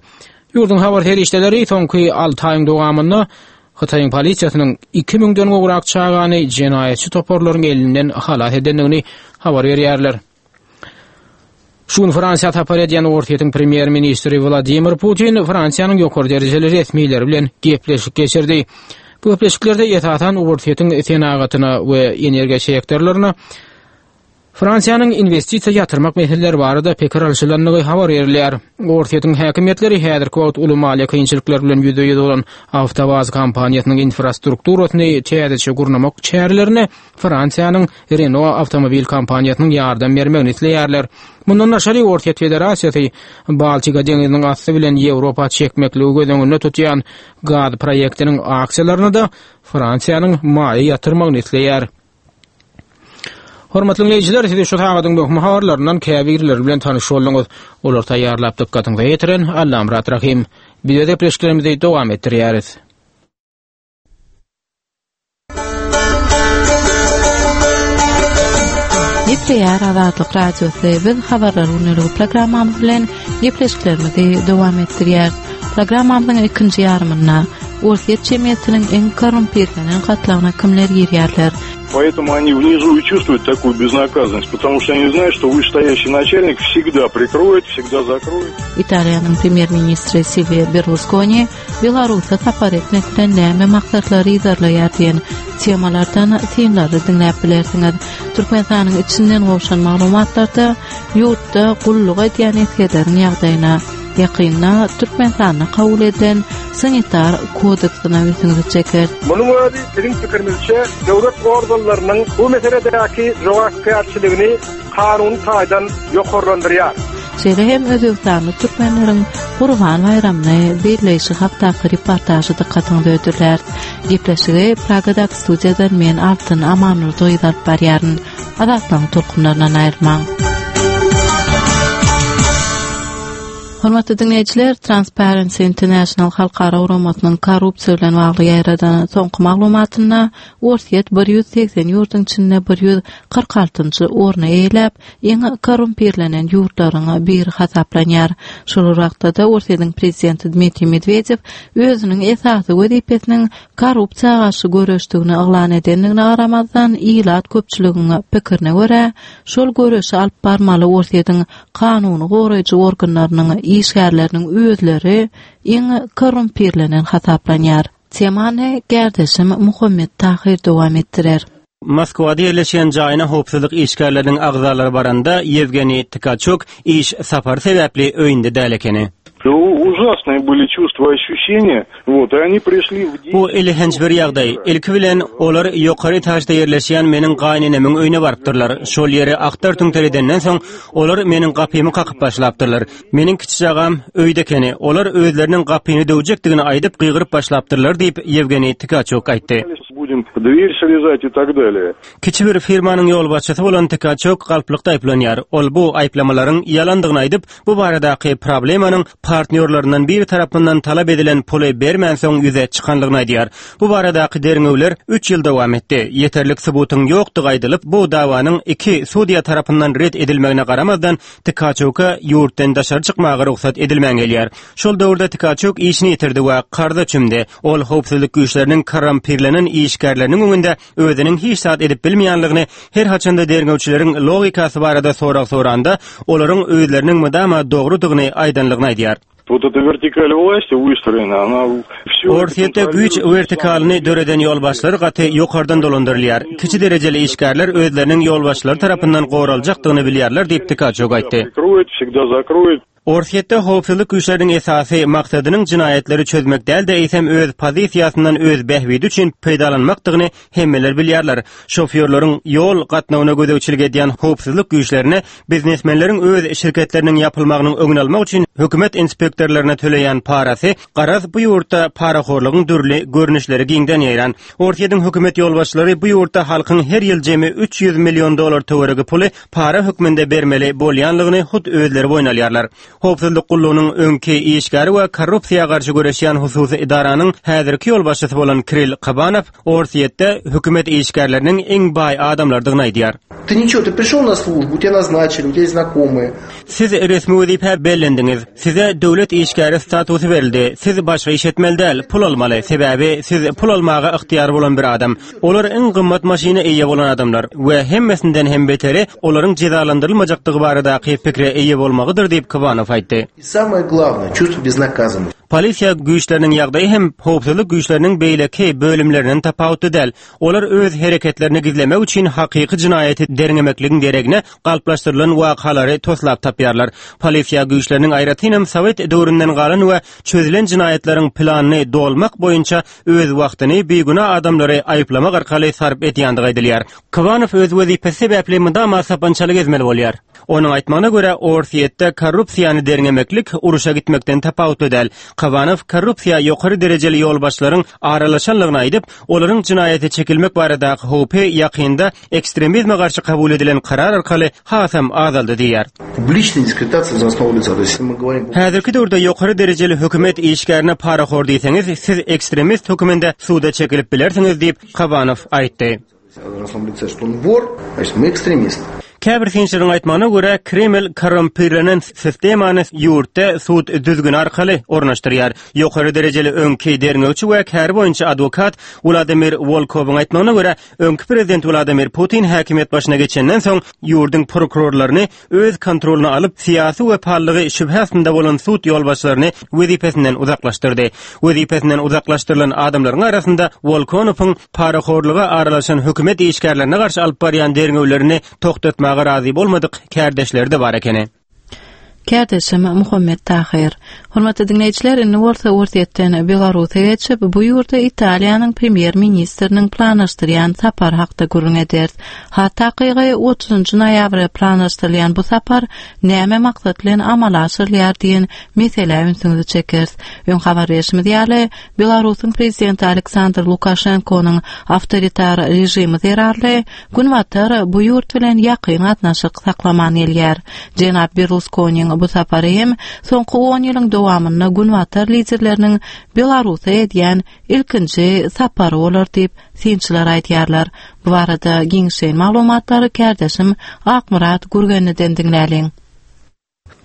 Speaker 2: Ýurduň habar serişdeleri soňky alty aýyň dowamynda Hytaýyň polisiýasynyň iki müňden gowrak çagany jenaýatçy toparlaryň elinden halas edendigini habar berýärler. Şu gün Fransiýa sapar edýän Orsýetiň premýer-ministri Wladimir Putin Fransiýanyň ýokary derejeli resmileri bilen gepleşik geçirdi. Bu gepleşiklerde esasan Orsýetiň senagatyna we energiýa sektorlaryna Fransiýanyň inwestisiýa ýatyrmak meseleleri barada pikir alşylandygy habar berilýär. Orsýetiň häkimiýetleri häzirki wagt uly maliýe kynçylyklary bilen ýüzbe-ýüz bolan Awtowaz kompaniýasynyň infrastrukturasyny täzeçe gurnamak çärelerine Fransiýanyň Renault awtomobil kompaniýasynyň ýardam bermegini isleýärler. Mundan daşary, Orsýet Federasiýasy Baltika deňziniň asty bilen Ýewropa çekmekligi göz öňünde tutýan gaz proýektiniň aksiýalaryna-da Fransiýanyň maýa ýatyrmagyny isleýär. Hormatly diňleýjiler, siz şu sagadyň möhüm habarlaryndan käbirleri bilen tanyş bolduňyz. Olary taýýarlap dykgatyňyza ýetiren Allamyrat Rahym. Biz öz gepleşiklerimizi dowam etdirýäris.
Speaker 1: Gepleýär Azatlyk Radiosy. Biz habarlar gündeligi programmamyz bilen gepleşiklerimizi dowam etdirýäris. Programmamyzyň ikinji ýarymynda Orsýet jemgyýetiniň iň korrumpirlenen gatlagyna kimler girýärler?
Speaker 4: Поэтому они внизу и чувствуют такую безнаказанность, потому что они знают, что вышестоящий начальник всегда прикроет, всегда закроет.
Speaker 1: Italiýanyň premýer-ministri Silwio Berluskoni Belarusa sapar etmek bilen näme maksatlary yzarlaýar diýen temalardan synlary diňläp bilersiňiz. Türkmenistanyň içinden gowşan maglumatlarda ýurtda gulluk edýän esgerleriň ýagdaýyna, ýakynda Türkmenistanda kabul edilen sanitar kodeksine ünsüňizi çekeris.
Speaker 17: Munuň özi, biziň pikirimizçe, döwlet organlarynyň bu meseledäki jogapkärçiligini kanuny taýdan ýokarlandyrýar.
Speaker 1: Şeýle hem özbegistanly türkmenleriň Gurban baýramyny belleýşi hakdaky reportažy dykgatyňyza hödürläris. Gepleşigi Pragadaky studiýadan men Altyn Amanurdy gyz alyp barýaryn. Azatlygyň tolkunlaryndan aýrylmaň. Hormatly diňleýjiler, Transparency International halkara guramasynyň korrupsiýa bilen bagly ýaýradan soňky maglumatynda Orsýet 180 ýurduň içinde 146-njy orny eýeläp, iň korrumpirlenen ýurtlaryň biri hasaplanýar. Şol bir wagtda-da Orsýetiň prezidenti Dmitriý Medwedew özüniň esasy wezipesiniň korrupsiýa garşy göreşdigini yglan edendigine garamazdan, ilat köpçüligiň pikirine görä, şol göreşi alyp barmaly Orsýetiň kanuny goraýjy organlarynyň işgärleriniň özleri iň korrumpirlenen hasaplanýar. Temany kärdeşim Muhammet Tahyr dowam etdirer.
Speaker 5: Moskwada ýerleşýän jaýyna howpsuzlyk işgärleriniň agzalary baranda, Ýewgeniý Tkaçuk iş sapary sebäpli öýünde däl ekeni. Bu elhenç bir ýagdaý. Ilki bilen, olar ýokary etažda ýerleşýän meniň gaýynenemiň öýüne barypdyrlar. Şol ýeri aktar-tüňter edenden soň, olar meniň gapymy kakyp başlapdyrlar. Meniň kiçi çagam öýde ekeni. Olar özleriniň gapyny döwjekdigini aýdyp gygyryp başlapdyrlar diýip, Ýewgeniý Tkaçuk aýtdy. Kiçi bir firmanyň ýolbaşçysy bolan Tkaçuk galplykda aýyplanýar. Ol bu aýyplamalaryň ýalandygyny aýdyp, bu baradaky problemanyň partnýorlaryndan biri tarapyndan talap edilen puly bermänsoň ýüze çykanlygyny aýdýar. Bu baradaky derňewler üç ýyl dowam etdi. Ýeterlik subutyň ýokdugy aýdylyp, bu dawanyň iki sudýa tarapyndan ret edilmegine garamazdan, Tkaçuka ýurtdan daşary çykmaga rugsat edilmän gelýär. Şol döwürde Tkaçuk işini ýitirdi we karza çümdi. Ol howpsuzlyk güýçleriniň korrumpirlenen işgärleriniň öňünde özüniň hiç zat edip bilmeýänligini, her haçanda derňewçileriň logikasy barada sorag soranda, olaryň özleriniň mydama dogrudygyny aýdanlygyny aýdýar.
Speaker 4: Wot eta wertikal wlasti wystroena, ona wsýo
Speaker 5: Orsýetde güýç wertikalyny döreden ýolbaşçylar gaty ýokardan dolandyrylýar. Kiçi derejeli işgärler özleriniň ýolbaşçylary tarapyndan goraljakdygyny bilýärler diýip, Tkaçuk aýtdy. Orsýetde howpsuzlyk güýçleriniň esasy maksadynyň jenaýatlary çözmek däl-de, eýsem öz pozisiýasyndan öz bähbidi üçin peýdalanmakdygyny hemmeler bilýärler. Şofýorlaryň ýol gatnawyna gözegçilik edýän howpsuzlyk güýçlerine biznesmenleriň öz şirketleriniň ýapylmagynyň öňüni almak üçin hökümet inspektorlaryna töleýän parasy, garaz, bu ýurtda parahorlugyň dürli görnüşleri giňden ýaýran. Orsýetiň hökümet ýolbaşçylary bu ýurtda halkyň her ýyl jemi 300 million dollar töweregi puly para hökmünde bermeli bolýanlygyny hut özleri boýun alýarlar. Howpsuzlyk gullugynyň öňki işgäri we korrupsiýa garşy göreşýän hususy edaranyň häzirki ýolbaşçysy bolan Kirill Kabanow Orsýetde hökümet işgärleriniň iň baý adamlardygyny aýdýar.
Speaker 18: Ty niço, ty prişol na slujbu, tebya naznaçili, u tebya ýest znakomyýe.
Speaker 5: Siz resmi wezipä bellendiňiz. Size döwlet işgäri statusy berildi. Siz başga iş etmeli däl, pul almaly. Sebäbi siz pul almaga ygtyýary bolan bir adam. Olar iň gymmat maşyna eýe bolan adamlar we hemmesinden hem beteri olaryň jezalandyrylmajakdygy baradaky pikire eýe bolmagydyr diýip, Kybanow aýtdy.
Speaker 18: I samoe glawnoe, çувство beznakazanosti.
Speaker 5: Polisiýa güýçleriniň ýagdaýy hem howpsuzlyk güýçleriniň beýleki bölümlerinden tapawutly däl. Olar öz hereketlerini gizlemek üçin hakyky jenaýaty derňemekligiň deregine galplaşdyrylan wakalary toslap tapýarlar. Polisiýa güýçleriniň aýratynam sowet döwründen galan we çözülen jenaýatlaryň planyny dolmak boýunça öz wagtyny bigünä adamlary aýyplamak arkaly sarp edýändigi aýdylýar. Kybanow öz wezipesi sebäpli mydama sapançaly gezmeli bolýar. Onuň aýtmagyna görä, Orsýetde korrupsiýany derňemeklik uruşa gitmekden tapawutly däl. Kybanow korrupsiýa ýokary derejeli ýolbaşçylaryň aralaşanlygyny aýdyp, olaryň jenaýata çekilmek baradaky howpy ýakynda ekstremizme garşy kabul edilen karar arkaly hasam azaldy diýýär. Häzirki döwürde ýokary derejeli hökümet işgärine parahor diýseňiz, siz ekstremist höküminde suda çekilip bilersiňiz diýip, Kabanow aýtdy. Käbir synçylaryň aýtmagyna görä, Kreml korrumpirlenen sistemany ýurtda sud düzgüni arkaly ornaşdyrýar. Ýokary derejeli öňki derňewçi we käri boýunça adwokat Wladimir Wolkowyň aýtmagyna görä, öňki prezident Wladimir Putin häkimiýet başyna geçenden soň ýurduň prokurorlaryny öz kontrolyna alyp, syýasy wepalylygy şübhe astynda bolan sud ýolbaşçylaryny wezipesinden uzaklaşdyrdy. Wezipesinden uzaklaşdyrylan adamlaryň arasynda Wolkonowyň parahorluga aralaşan hökümet işgärlerine garşy alyp barýan derňewlerini togtatmaga razy bolmadyk kärdeşleri-de bar ekeni.
Speaker 1: Kärdeşim Muhammet Tahyr. Hormatly diňleýjiler, indi bolsa Orsýetden Belarusa geçip, bu ýurda Italiýanyň premýer-ministriniň planlaşdyrýan sapary hakda gürrüň ederis. Has takygy, otuzynjy noýabra planlaşdyrylýan bu sapar näme maksat bilen amala aşyrylýar diýen meselä ünsüňizi çekeris. Öň habar berşimiz ýaly, Belarusyň prezidenti Aleksandr Lukaşenkonyň awtoritar režimi zerarly Günbatar bu ýurt bilen ýakyn gatnaşyk saklaman gelýär. Jenap Berluskoniň bu sapary hem soňky on ýylyň dowamynda Günbatar liderleriniň Belarusa edýän ilkinji sapary bolar diýip, synçylar aýdýarlar. Bu barada giňişleýin maglumatlary kärdeşim Akmyrat Gürgenliden diňläliň.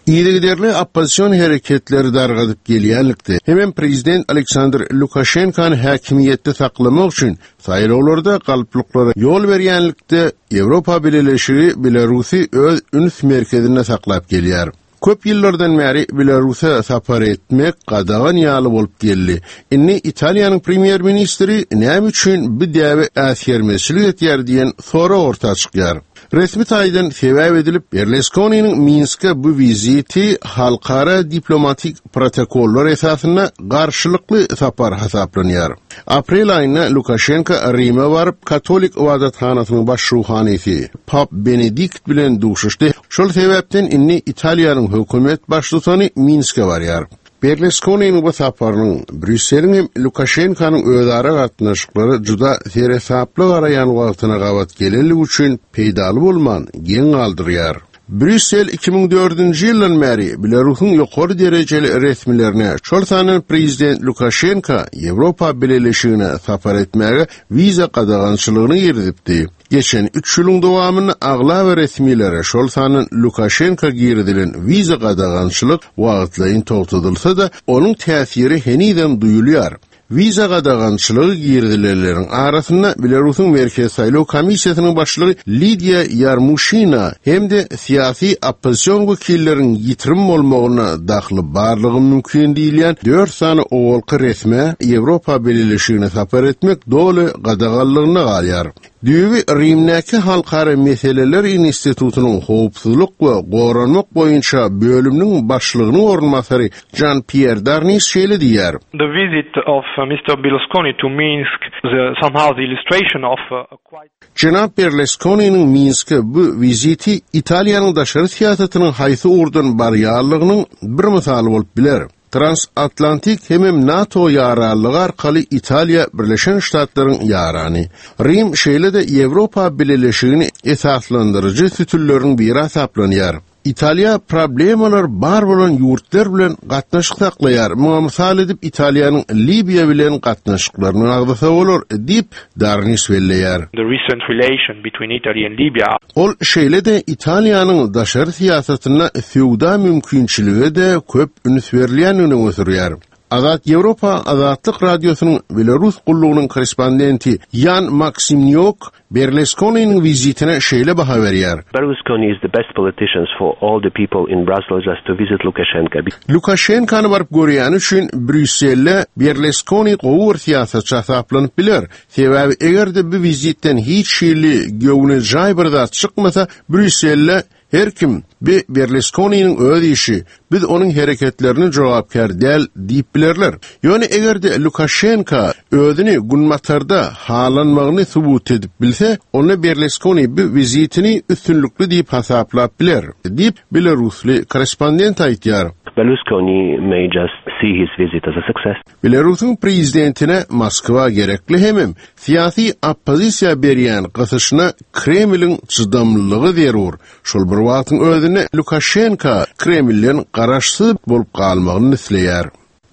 Speaker 10: Yzygiderli oppozision hereketleri dargadyp gelýänlikde hemem prezident Aleksandr Lukaşenkany häkimiýetde saklamak üçin saýlawlarda galplyklara ýol berýänlikde Ýewropa Bileleşigi Belarusy öz üns merkezinde saklap gelýär. Köp ýyllardan bäri Belarusa sapar etmek gadagan ýaly bolup geldi. Indi Italiýanyň premýer-ministri näme üçin bu däbe äsgermezçilik etýär diýen sorag orta çykýar. Resmi taýdan sebäp edilip, Berluskoniniň Minske bu wiziti halkara diplomatik protokollar esasynda garşylykly sapar hasaplanýar. Aprel aýynda Lukaşenko Rime baryp, katolik ybadathanasynyň baş ruhanysy Pap Benedikt bilen duşuşdy. Şol sebäpden indi Italiýanyň hökümet baştutany Minske barýar. Berluskoniniň bu saparynyň Brýusseliň hem Lukaşenkonyň özara gatnaşyklara juda seresaply garaýan wagtyna gabat gelenligi üçin peýdaly bolman, geň galdyrýar. Brýussel 2004-nji ýyldan bäri Belarusyň ýokary derejeli resmilerine, şol sandan prezident Lukaşenka Ýewropa Bileleşigine sapar etmäge wiza gadagançylygyny girizipdi. Geçen üç ýylyň dowamynda aglaba resmilere, şol sandan Lukaşenka girizilen wiza gadagançylyk wagtlaýyn togtadylsa-da, onuň täsiri henizem duýulýar. Wiza gadagançylygy girizilenleriň arasynda Belarusyň Merkezi saýlaw komissiýasynyň başlygy Lidiýa Ýarmuşina hem-de syýasy oppozision wekilleriň ýitirim bolmagyna dahly barlygy mümkin diýilýän dört sany owalky resmä Ýewropa Bileleşigine sapar etmek doly gadaganlygyna galýar. Düýbi Rimdäki Halkara meseleler institutynyň howpsuzlyk we goranmak boýunça bölüminiň başlygynyň orunbasary Žan-Pýer Darnis şeýle diýýär.
Speaker 19: The visit of Mister Berlusconi to Minsk is somehow the illustration of a quite.
Speaker 10: Jenap Berluskoniniň Minske bu wiziti Italiýanyň daşary syýasatynyň haýsy ugurdan barýanlygynyň bir mysaly bolup biler. Transatlantik hemem NATO ýaranlygy arkaly Italiýa Birleşen Ştatlaryň ýarany. Rim şeýle-de Ýewropa Bileleşigini esaslandyryjy sütünleriň biri hasaplanýar. Italiýa problemalar bar bolan ýurtlar bilen gatnaşyk saklaýar, muňa mysal edip Italiýanyň Libiýa bilen gatnaşyklaryny agzasa bolar diýip, Darnis belleýär.
Speaker 19: The recent relation between Italy and Libya.
Speaker 10: Ol şeýle-de Italiýanyň daşary syýasatynda söwda mümkinçilige-de köp üns berilýändigini öňe sürýär. Azat Ýewropa Azatlyk Radiosynyň Belarus gullugynyň korrespondenti Ýan Maksimnýok Berluskoniniň wizitine şeýle baha berýär.
Speaker 16: Berlusconi is the best politicians for all the people in Brussels just to visit Lukashenka.
Speaker 10: Lukaşenkany baryp görýäni üçin Brýusselde Berluskoni gowy bir syýasatçy hasaplanyp biler. Sebäbi eger-de bu wizitden hiç hili göwnejaý bir zat çykmasa, Brýusselde Her kim, Bi Berluskoniniň öz işi, biz onuň hereketlerine jogapkär däl diýip bilerler. Ýöne eger-de Lukaşenko özüni Günbatarda halanmagyny subut edip bilse, onda Berluskoni bu wizitini üstünlikli diýip hasaplap biler, diýip, belarusly korrespondent aýdýar.
Speaker 16: Berlusconi may just see his visit as a success.
Speaker 10: Belarusyň prezidentine Moskwa gerekli hemem syýasy oppozisiýa berýän gysyşyna Kremliň çydamlylygy zerur. Şol bir wagtyň özünde Lukaşenko Kremlden garaşsyz bolup galmagyny isleýär.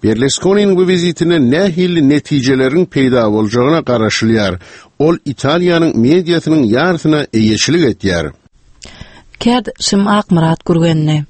Speaker 10: Berluskoniniň bu wizitinden nähili netijeleriň peýda boljagyna garaşylýar. Ol Italiýanyň mediasynyň ýarysyna eýeçilik etýär.
Speaker 1: Kärdeşim Akmyrat Gürgenli.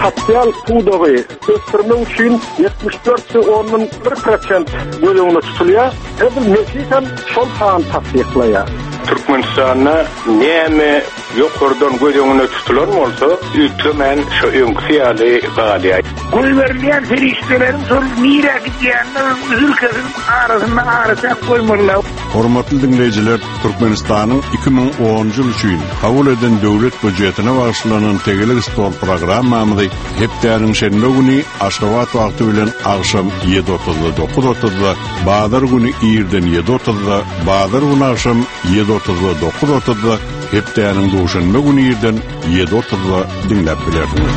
Speaker 17: Sosial pudagy ösdürmek üçin 74 ondan 1 prosent göz öňünde tutulýar. Edil Mejlis hem şol sany tassyklaýar.
Speaker 13: Türkmenistanda näme ýokardan göz öňünde tutulan bolsa, üýtgemän şo öňküsi ýaly galýar.
Speaker 20: Goýberilýän serişdeleriň şol nirä gidýänini üzül-kesil arasynda araçäk goýmalylar.
Speaker 4: Hormatly diňleýjiler, Türkmenistanyň 2010-njy ýyl üçin kabul eden Döwlet býujetine bagyşlanan Tegelek stol programmamyzy hepdäniň şenbe güni Aşgabat wagty bilen agşam ýedi otuzda, dokuz otuzda, bazar güni irden ýedi otuzda, bazar güni agşam ýedi otuzda, dokuz otuzda, hepdäniň duşenbe güni irden ýedi otuzda diňläp bilersiňiz.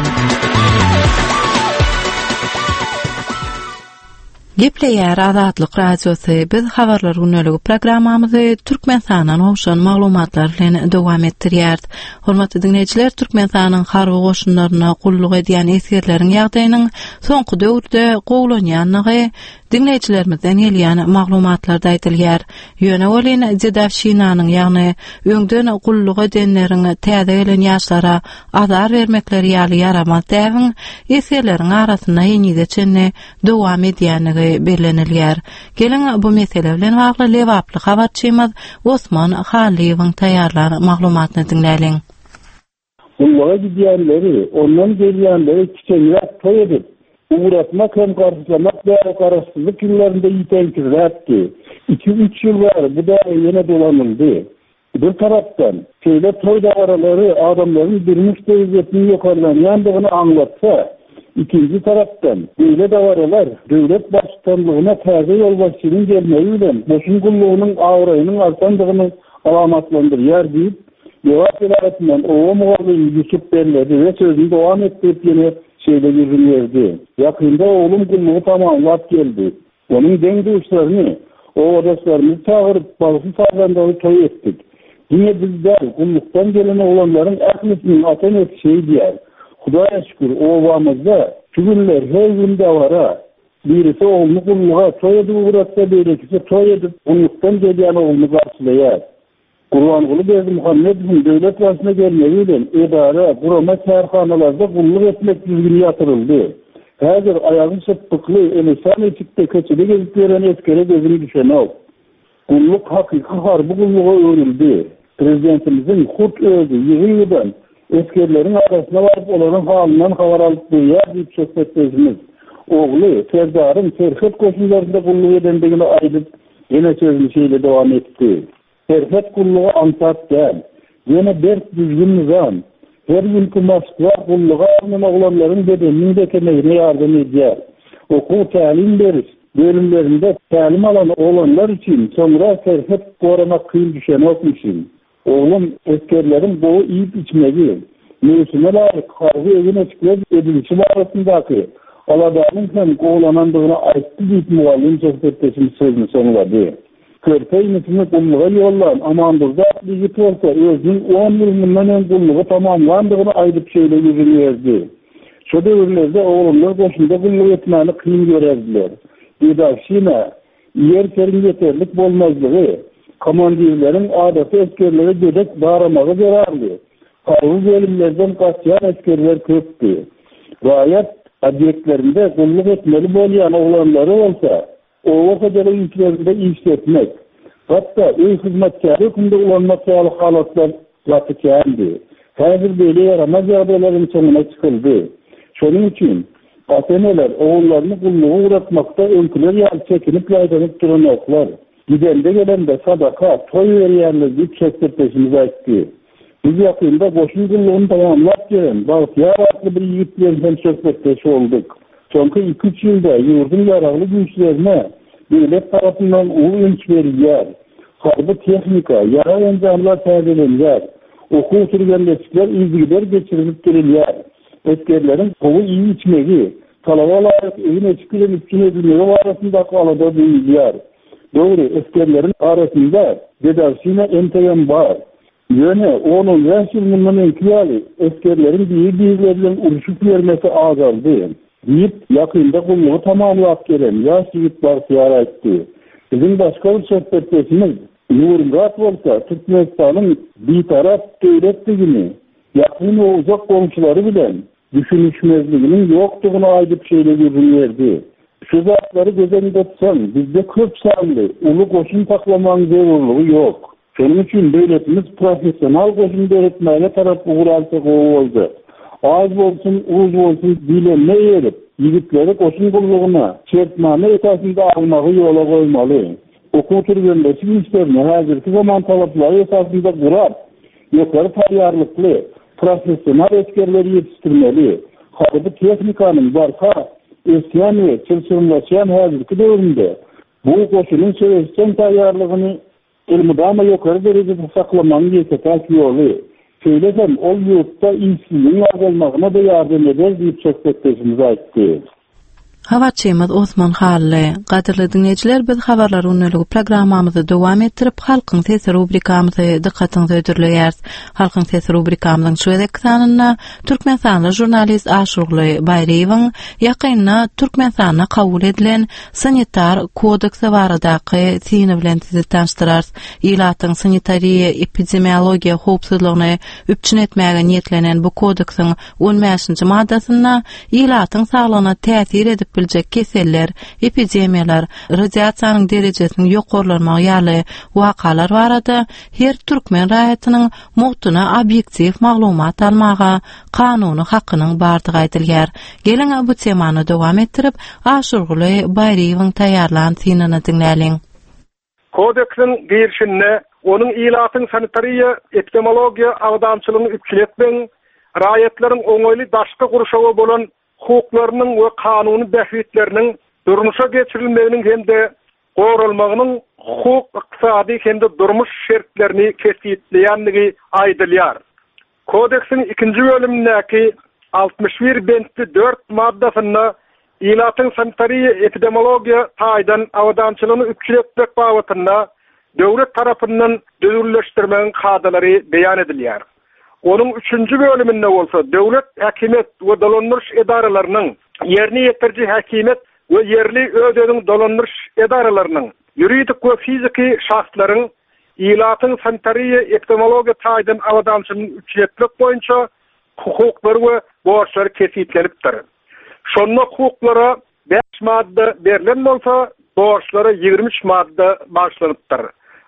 Speaker 1: Gepleýär Azatlyk Radiosy, biz Habarlar gündeligi programmamyzy Türkmenistandan gowşan maglumatlar bilen dowam etdirýäris. Hormatly diňleýjiler, Türkmenistanyň harby goşunlarynda gulluk edýän esgerleriň ýagdaýynyň soňky döwürde gowulanýandygy diňleýjilerimizden gelýän maglumatlarda aýdylýar. Ýöne welin dedowşinanyň, ýagny öňden gulluk edenleriň täze gelen ýaşlara azar bermekleri ýaly ýaramaz däbiň esgerleriň arasynda henize çenli dowam edýändigi bellenilýär. Geliň, bu mesele bilen bagly lebaply habarçymyz Osman Hallyýewiň taýýarlan maglumatyny diňläliň.
Speaker 21: Gulluga gidýänleri, ondan gelýänleri kiçeňräk toý edip, ugratmak hem garşylamak däbi garaşsyzlyk ýyllarynda ýiteňkirräkdi. Iki-üç ýyl bäri bu däbe ýene dolanyldy. Bir tarapdan, şeýle toý dabaralary adamlaryň durmuş derejesiniň ýokarlanýandygyny aňlatsa, ikinji tarapdan, beýle dabaralar döwlet baştutanlygyna täze ýolbaşçynyň gelmegi bilen goşun gullugynyň abraýynyň artandygyny alamatlandyrýar diýip, Lebap welaýatyndan oba mugallymy Ýusup belledi we sözüni dowam etdirip ýene şeýle gürrüň berdi, Ýakynda oglum gullugy tamamlap geldi. Onuň deň-duşlaryny, obadaşlarymyzy çagyryp, bagşy-sazandary toý etdik. Diňe biz däl, gullukdan gelen oglanlaryň ählisiniň ata-enesi şeýdýär. Hudaýa şükür, obamyzda şu günler her gün dabara. Birisi ogluny gulluga toý edip ugratsa, beýlekisi toý edip, gullukdan gelýän ogluny garşylaýar. Gurbanguly Berdimuhamedowyň döwlet başyna gelmegi bilen edara, gurama, kärhanalarda gulluk etmek düzgüni ýatyryldy. Häzir aýagy şypbykly, eli şan eşikde köçede gezip ýören esgere gözüň düşenok. Gulluk hakyky harby gulluga öwrüldi. Prezidentimiziň hut özi ýygy-ýygydan esgerleriň arasyna baryp olaryň halyndan habar alyp durýar diýip söhbetdeşimiz ogly Serdaryň serhet goşunlarynda gulluk edendigini aýdyp, Ýene sözüni şeýle dowam etdi, Serhet gullugy aňsat däl. Ýene berk düzgün-nyzam, her günki maşklar gulluga alnan oglanlaryň bedeniniň bekemegine ýardam edýär. Okuw-tälim beriş bölümlerinde tälim alan oglanlar üçin soňra serhet goramak kyn düşenokmyşyn. Oglum, esgerleriň gowy iýip-içmegi, möwsüme laýyk harby egin-eşikler edinişi barasyndaky aladanyň hem gowulanandygyny aýtdy diýip, mugallym söhbetdeşimiz sözüni soňlady. Körpe inisini gulluga ýollan Amandurdy atly ýigit bolsa özüniň on ýyl mundan öň gullugy tamamlandygyny aýdyp şeýle gürrüň berdi, Şo döwürlerde oglanlar goşunda gulluk etmäni kyn görerdiler. Dedowşina, Ýer-seriň ýeterlik bolmazlygy, komandirleriň adaty esgerlere gödek daramagy zerarly, harby bölümlerden gaçýan esgerler köpdi. Raýat obýektlerinde gulluk etmeli bolýan oglanlary bolsa, oba hojalyk işlerinde işletmek, hatda öý hyzmatkäri hökmünde ulanmak ýaly halatlar gaty kändi. Häzir beýle ýaramaz ýagdaýlaryň soňuna çykyldy. Şonuň üçin, Ata-eneler ogullaryny gulluga ugratmakda öňküler ýaly çekinip-ýaýdanyp duranoklar. Gidende-gelende sadaka, toý berýärler diýip söhbetdeşimiz aýtdy. Biz ýakynda goşun gullugyny tamamlap gelen Bagtyýar atly bir ýigit bilen hem söhbetdeş bolduk. Soňky iki-üç ýylda ýurduň Ýaragly Güýçlerine döwlet tarapyndan uly üns berilýär. Harby tehnika, ýarag-enjamlar täzelenýär. Okuw-türgenleşikler yzygider geçirilip durulýar. Esgerleriň gowy iýip-içmegi, talaba laýyk egin-eşik bilen üpjün edilmegi barasyndaky alada duýulýar. Dogry, esgerleriň arasynda dedowşina entegem bar. Ýöne on-on bäş ýyl mundan öňki ýaly esgerleriň biri-birleri bilen urşup ýörmesi azaldy, diýip, ýakynda gullugy tamamlap gelen ýaş ýigit Bagtyýar aýtdy. Biziň başga bir söhbetdeşimiz. Nurmyrat bolsa Türkmenistanyň Bitarap döwletdigini, ýakyn we uzak goňşulary bilen düşünişmezliginiň ýokdugyny aýdyp şeýle gürrüň berdi, Şu zatlary göz öňünde tutsaň, bizde köp sanly, uly goşun saklamagyň zerurlygy ýok. Şonuň üçin döwletimiz professional goşun döretmäge tarap ugur alsa gowy boljak. Az bolsun, uz bolsun diýlenine eýerip, ýigitleri goşun gullugyna şertnama esasynda almagy ýola goýmaly. Okuw-türgenleşik işlerini häzirki zaman talaplary esasynda gurap, ýokary taýýarlykly, professional esgerleri ýetişdirmeli. Harby tehnikanyň barha ösýän we çylşyrymlaşýan häzirki döwründe bu goşunyň söweşjeň taýýarlygyny elmydama ýokary derejede saklamagyň ýeke-täk ýoly. Şeýle hem ol ýurtda işsizligiň azalmagyna-da ýardam eder diýip söhbetdeşimiz aýtdy.
Speaker 1: Habarçymyz Osman Hally. Gadyrly diňleýjiler biz habarlar gündeligi programmamyzy dowam etdirip Halkyň sesi rubrikamyzy dykgatyňyza hödürleýäris. Halkyň sesi rubrikamyzyň şu gezekki sanynda Türkmenistanly žurnalist Aşyrguly Baýryýewiň ýakynda Türkmenistanda kabul edilen Sanitar kodeksi baradaky syny bilen sizi tanyşdyrarys. Ilatyň sanitariýa-epidemiologiýa howpsuzlygyny üpjün etmäge niýetlenen bu kodeksiň on bäşinji maddasynda ilatyň saglygyna täsir edip biljek keseller, epidemiýalar, radiasiýanyň derejesiniň ýokarlanmagy ýaly wakalar barada her türkmen raýatynyň mugtuna obýektiw maglumat almaga kanuny hakynyň bardygy aýdylýar. Geliň, bu temany dowam etdirip, Aşyrguly Baýryýewiň taýýarlan synyny diňläliň.
Speaker 17: Kodeksiň girişinde onuň ilatyň sanitariýa-epidemiologiýa abadançylygyny üpjün etmegiň, raýatlaryň oňaýly daşky gurşawa bolan hukuklarynyň we kanuny bähbitleriniň durmuşa geçirilmeginiň hem-de goralmagynyň hukuk, ykdysady hem-de durmuş şertlerini kesgitleýändigi aýdylýar. Kodeksiň ikinji bölümindäki 61 bentli dört maddasynda ilatyň sanitariýa-epidemiologiýa taýdan abadançylygyny üpjün etmek babatynda döwlet tarapyndan düzgünleşdirmegiň kadalary beýan edilýär. Onuň üçünji bölüminde bolsa döwlet häkimiýet we dolandyryş edaralarynyň, ýerine ýetiriji häkimiýet we ýerli öz-özüňi dolandyryş edaralarynyň, ýuridik we fiziki şahslaryň ilatyň sanitariýa-epidemiologiýa taýdan abadançylygyny üpjün etmek boýunça hukuklary we borçlary kesgitlenipdir. Şonda hukuklara bäş madda berlen bolsa, borçlara 23 madda bagyşlanypdyr.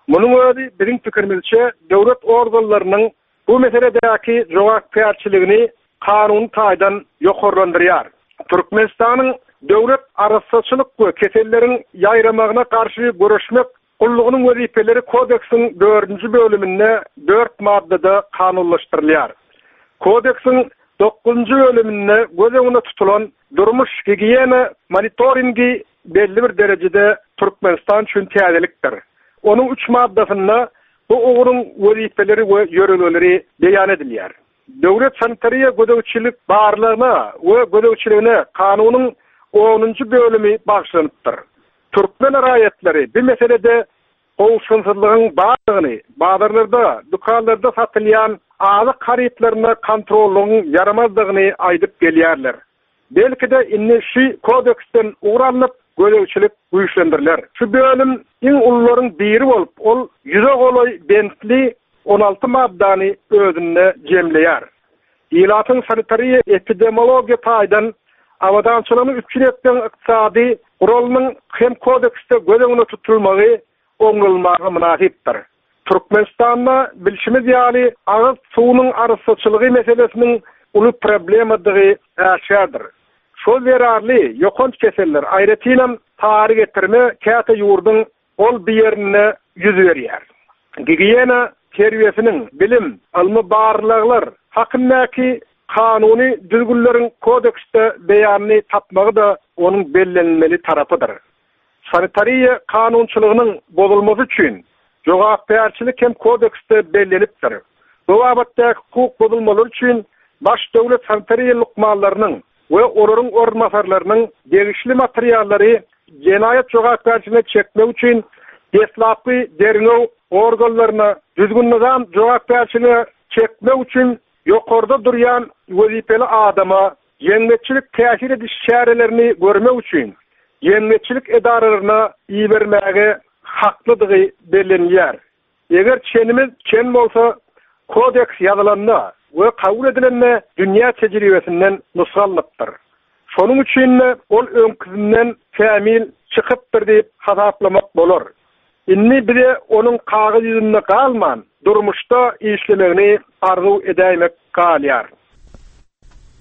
Speaker 17: Munuň özi, biziň pikirimizçe, döwlet organlarynyň bu meseledäki jogapkärçiligini kanuny taýdan ýokarlandyrýar. Türkmenistanyň Döwlet arassaçylyk we keselleriň ýaýramagyna garşy göreşmek Gullugynyň wezipeleri Kodeksiň dördünji bölüminde dört maddada kanunlaşdyrylýar. Kodeksiň dokuzynjy bölüminde göz öňünde tutulan durmuş-gigiýena monitoringi belli bir derejede Türkmenistan üçin täzelikdir. Onuň üç maddasynda bu ugruň wezipeleri we ýörelgeleri beýan edilýär. Döwlet sanitariýa gözegçilik barlagyna we gözegçiligine kanunyň onunjy bölümi bagyşlanypdyr. Türkmen raýatlary bu meselede gowşunsyzlygyň bardygyny, bazarlarda, dükanlarda satylýan azyk harytlaryna kontrollygyň ýaramazdygyny aýdyp gelýärler. Belki-de indi şu kodeksden ugur alnyp, gözegçilik güýçlendiriler. Şu bölüm iň ulularyň biri bolup, ol ýüze golaý bentli 16 maddany özünde jemleýär. Ilatyň sanitariýa-epidemiologiýa taýdan abadançylygyny üpjün etmegiň ykdysady guralynyň hem kodeksde göz öňünde tutulmagy oňlanylmaga mynasypdyr. Türkmenistanda, bilşimiz ýaly, agyz suwunyň arassaçylygy meselesiniň uly problemadygy äşgärdir. Şol zerarly ýokanç keseller, aýratynam sary getirme käte ýurduň Ol bir ýerinde ýüz berýär. Gigiýena terbiýesiniň, bilim, ylmy barlaglar hakyndaky kanuny düzgünleriň kodeksde beýanyny tapmagy-da onuň bellenilmeli tarapydyr. Sanitariýa kanunçylygynyň bozulmasy üçin jogapkärçilik hem kodeksde bellenipdir. Bu babatdaky hukuk bozulmalary üçin baş döwlet sanitariýa lukmanlarynyň we olaryň orunbasarlarynyň degişli materiallary jenaýat jogapkärçiligine çekmek üçin deslapky derňew organlaryna, düzgün-nyzam jogapkärçiligine çekmek üçin ýokarda durýan wezipeli adama jemgyýetçilik täsir ediş çärelerini görmek üçin jemgyýetçilik edaralaryna ibermäge haklydygy bellenilýär. Eger çenimiz çen bolsa, kodeks ýazylanda we kabul edilende dünýä tejribesinden nusga alnypdyr. Şonuň üçin-de ol öňküsinden kämil çykypdyr diýip hasaplamak bolar. Indi bize onuň kagyz ýüzünde galman, durmuşda işlemegini arzuw edäýmek galýar.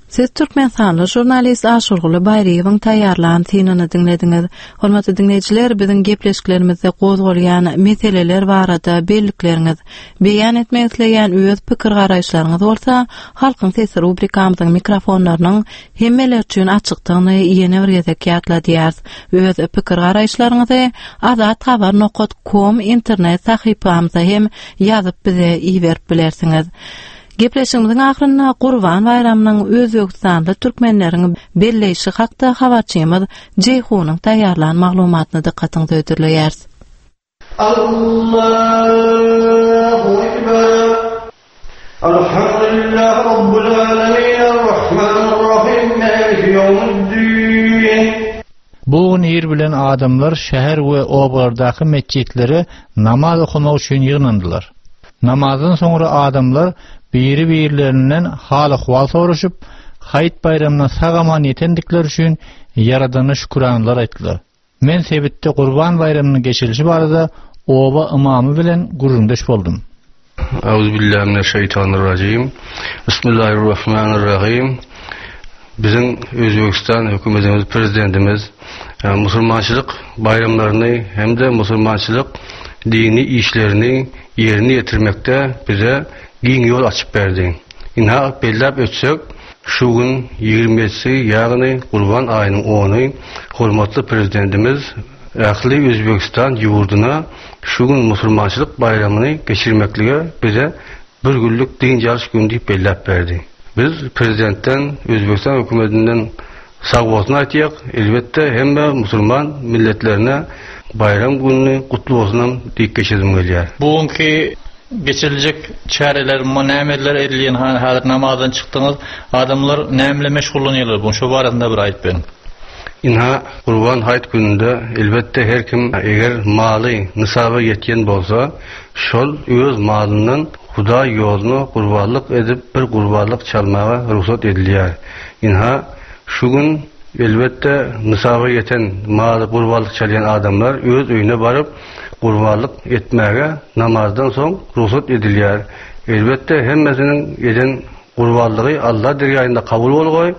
Speaker 1: Siz türkmenistanly žurnalist Aşyrguly Baýryýewiň taýýarlan synyny diňlediňiz. Hormatly diňleýjiler, biziň gepleşiklerimizde gozgalýan meseleler barada bellikleriňiz, beýan etmek isleýän öz pikir-garaýyşlaryňyz bolsa, Halkyň sesi rubrikamyzyň mikrofonlarynyň hemmeler üçin açykdygyny ýene bir gezek ýatladýarys. Öz pikir-garaýyşlaryňyzy azathabar nokat kom internet sahypamyza hem ýazyp bize iberip bilersiňiz. Gepleşigimiziň ahyrynda Gurban baýramynyň özbegistanly türkmenleriň belleýşi hakda habarçymyz Jeýhunyň taýýarlan maglumatyny dykgatyňyza hödürleýäris.
Speaker 3: Allahu Ekber. Alhamdulillah Rabbul Alemin Errahmanirrahim Maliki Yevmiddin.
Speaker 22: Bu gün ir bilen adamlar şäher we obalardaky metjitlere namaz okamak üçin ýygnandylar. Namazdan soňra adamlar biri-birlerinden hal-ahwal soraşyp, Haýyt baýramyna sag-aman ýetendikleri üçin Ýaradana şüküranalar aýtdylar. Men sebitde Gurban baýramynyň geçirilişi barada oba ymamy bilen gürrüňdeş boldum.
Speaker 23: Auzubillahi mineşşeýtanirrajim. Bismillahirrahmanirrahim. Biziň Özbegistan hökümetimiz, prezidentimiz e, musulmançylyk baýramlaryny hem-de musulmançylyk dini işlerini ýerine ýetirmekde bize giň ýol açyp berdi. Ynha, belläp ötsek, şu gün 27-si, ýagny Gurban aýynyň ony hormatly Prezidentimiz ähli Özbegistan ýurduna şu gün musulmançylyk baýramyny geçirmeklige bize bir günlük dynç alyş güni diýip belläp berdi. Biz Prezidentden, Özbegistan hökümetinden sagbolsun aýtýak. Elbetde, hemme musulman milletlerine baýram gününi gutly bolsunam diýip geçesim gelýär.
Speaker 22: Bu günki geçiriljek çäreler, nämeler edilýän häzir namazdan çykdyňyz, adamlar näme bilen meşgullanýarlar bu gün şo barasynda bir aýdyp beriň.
Speaker 23: Ynha, Gurban haýyt gününde elbetde her kim eger maly nisaba ýetýän bolsa, şol öz malyndan Hudaý ýoluna gurbanlyk edip bir gurbanlyk çalmaga rugsat edilýär. Ynha, şu gün elbetde nisaba ýeten maly gurbanlyk çalýan adamlar öz öýüne baryp gurbanlyk etmäge namazdan soň rugsat edilýär. Elbetde hemmesiniň eden Gurbanlygy Alla dergaýynda kabul bolgaý.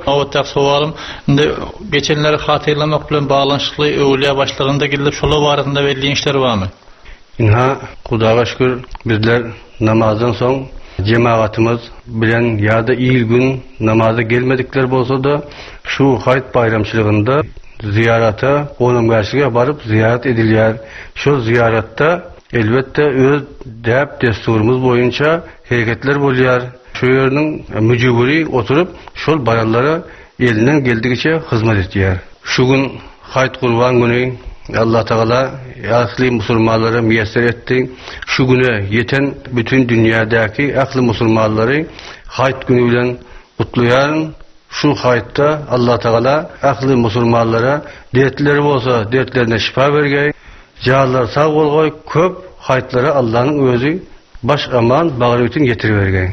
Speaker 22: Nobatdaky sowalym, indi geçenleri hatyrlamak bilen baglanyşykly öwülýä başlygynda gidilip şolar barasynda belli işler barmy?
Speaker 23: Ynha, Hudaga şükür, bizler namazdan soň jemagatymyz bilen ýa-da il-gün namaza gelmedikler bolsa-da, şu haýyt baýramçylygynda zyýarata, gonamgärçilige baryp zyýarat edilýär. Şol zyýaratda, elbetde, öz däp-dessurymyz boýunça Hereketler bolýar. Şu ýeriniň müjewüri oturyp, şol baranlara elinden geldigiçe hyzmat etýär. Şu gün Haýt Gurban güni Allatagala ähli musulmanlara miýesser etdi. Şu güne ýeten bütin dünýädäki ähli musulmanlary Haýt güni bilen gutlaýaryn. Şu haýtda Allatagala ähli musulmanlara dertleri bolsa dertlerine şypa bergeý. Janlary sag bolgaý, köp haýtlara Allanyň özi baş aman bagry bitin ýetiribergeý.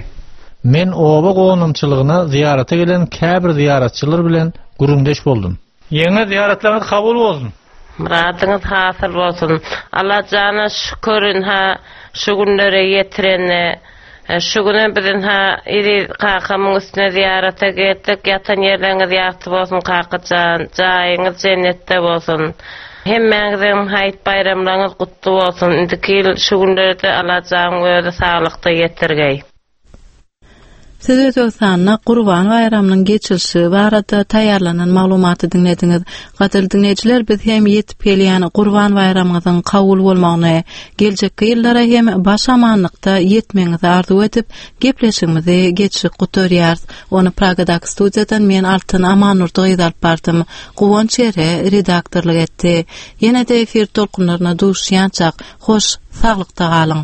Speaker 22: Men oba gonamçylygyna zyýarata gelen käbir zyýaratçylar bilen gürrüňdeş boldum. Ýeňňe zyýaratlaryňyz kabul bolsun.
Speaker 24: Myradyňyz hasyl bolsun. Allajana şükür ynha şu günlere ýetirene. Şu günem biz ynha eziz kakamyň üstüne zyýarata geldik. Ýatan ýerleriňiz ýagty bolsun kakajan. Jaýyňyz jennetde bolsun. Hemmäňiziň haýyt baýramlaryňyz gutly bolsun. Indiki ýyl şu günlere-de Allajanyň özi saglykda ýetirgeý.
Speaker 1: Siz Özbegistanda Gurban baýramynyň geçirilişi barada taýýarlanan maglumaty diňlediňiz. Gadyrly diňleýjiler, biz hem ýetip gelýän Gurban baýramyňyzyň kabul bolmagyny, geljekki ýyllara hem baş amanlykda ýetmegiňizi arzuw edip, gepleşigimizi geçjek gutarýarys. Ony Pragadaky studiýadan men Altyn Amannurdy gyzy alyp bardym. Guwanç Ere redaktorlyk etdi. Ýene-de efir tolkunlaryna duşýançak, hoş, saglykda galyň!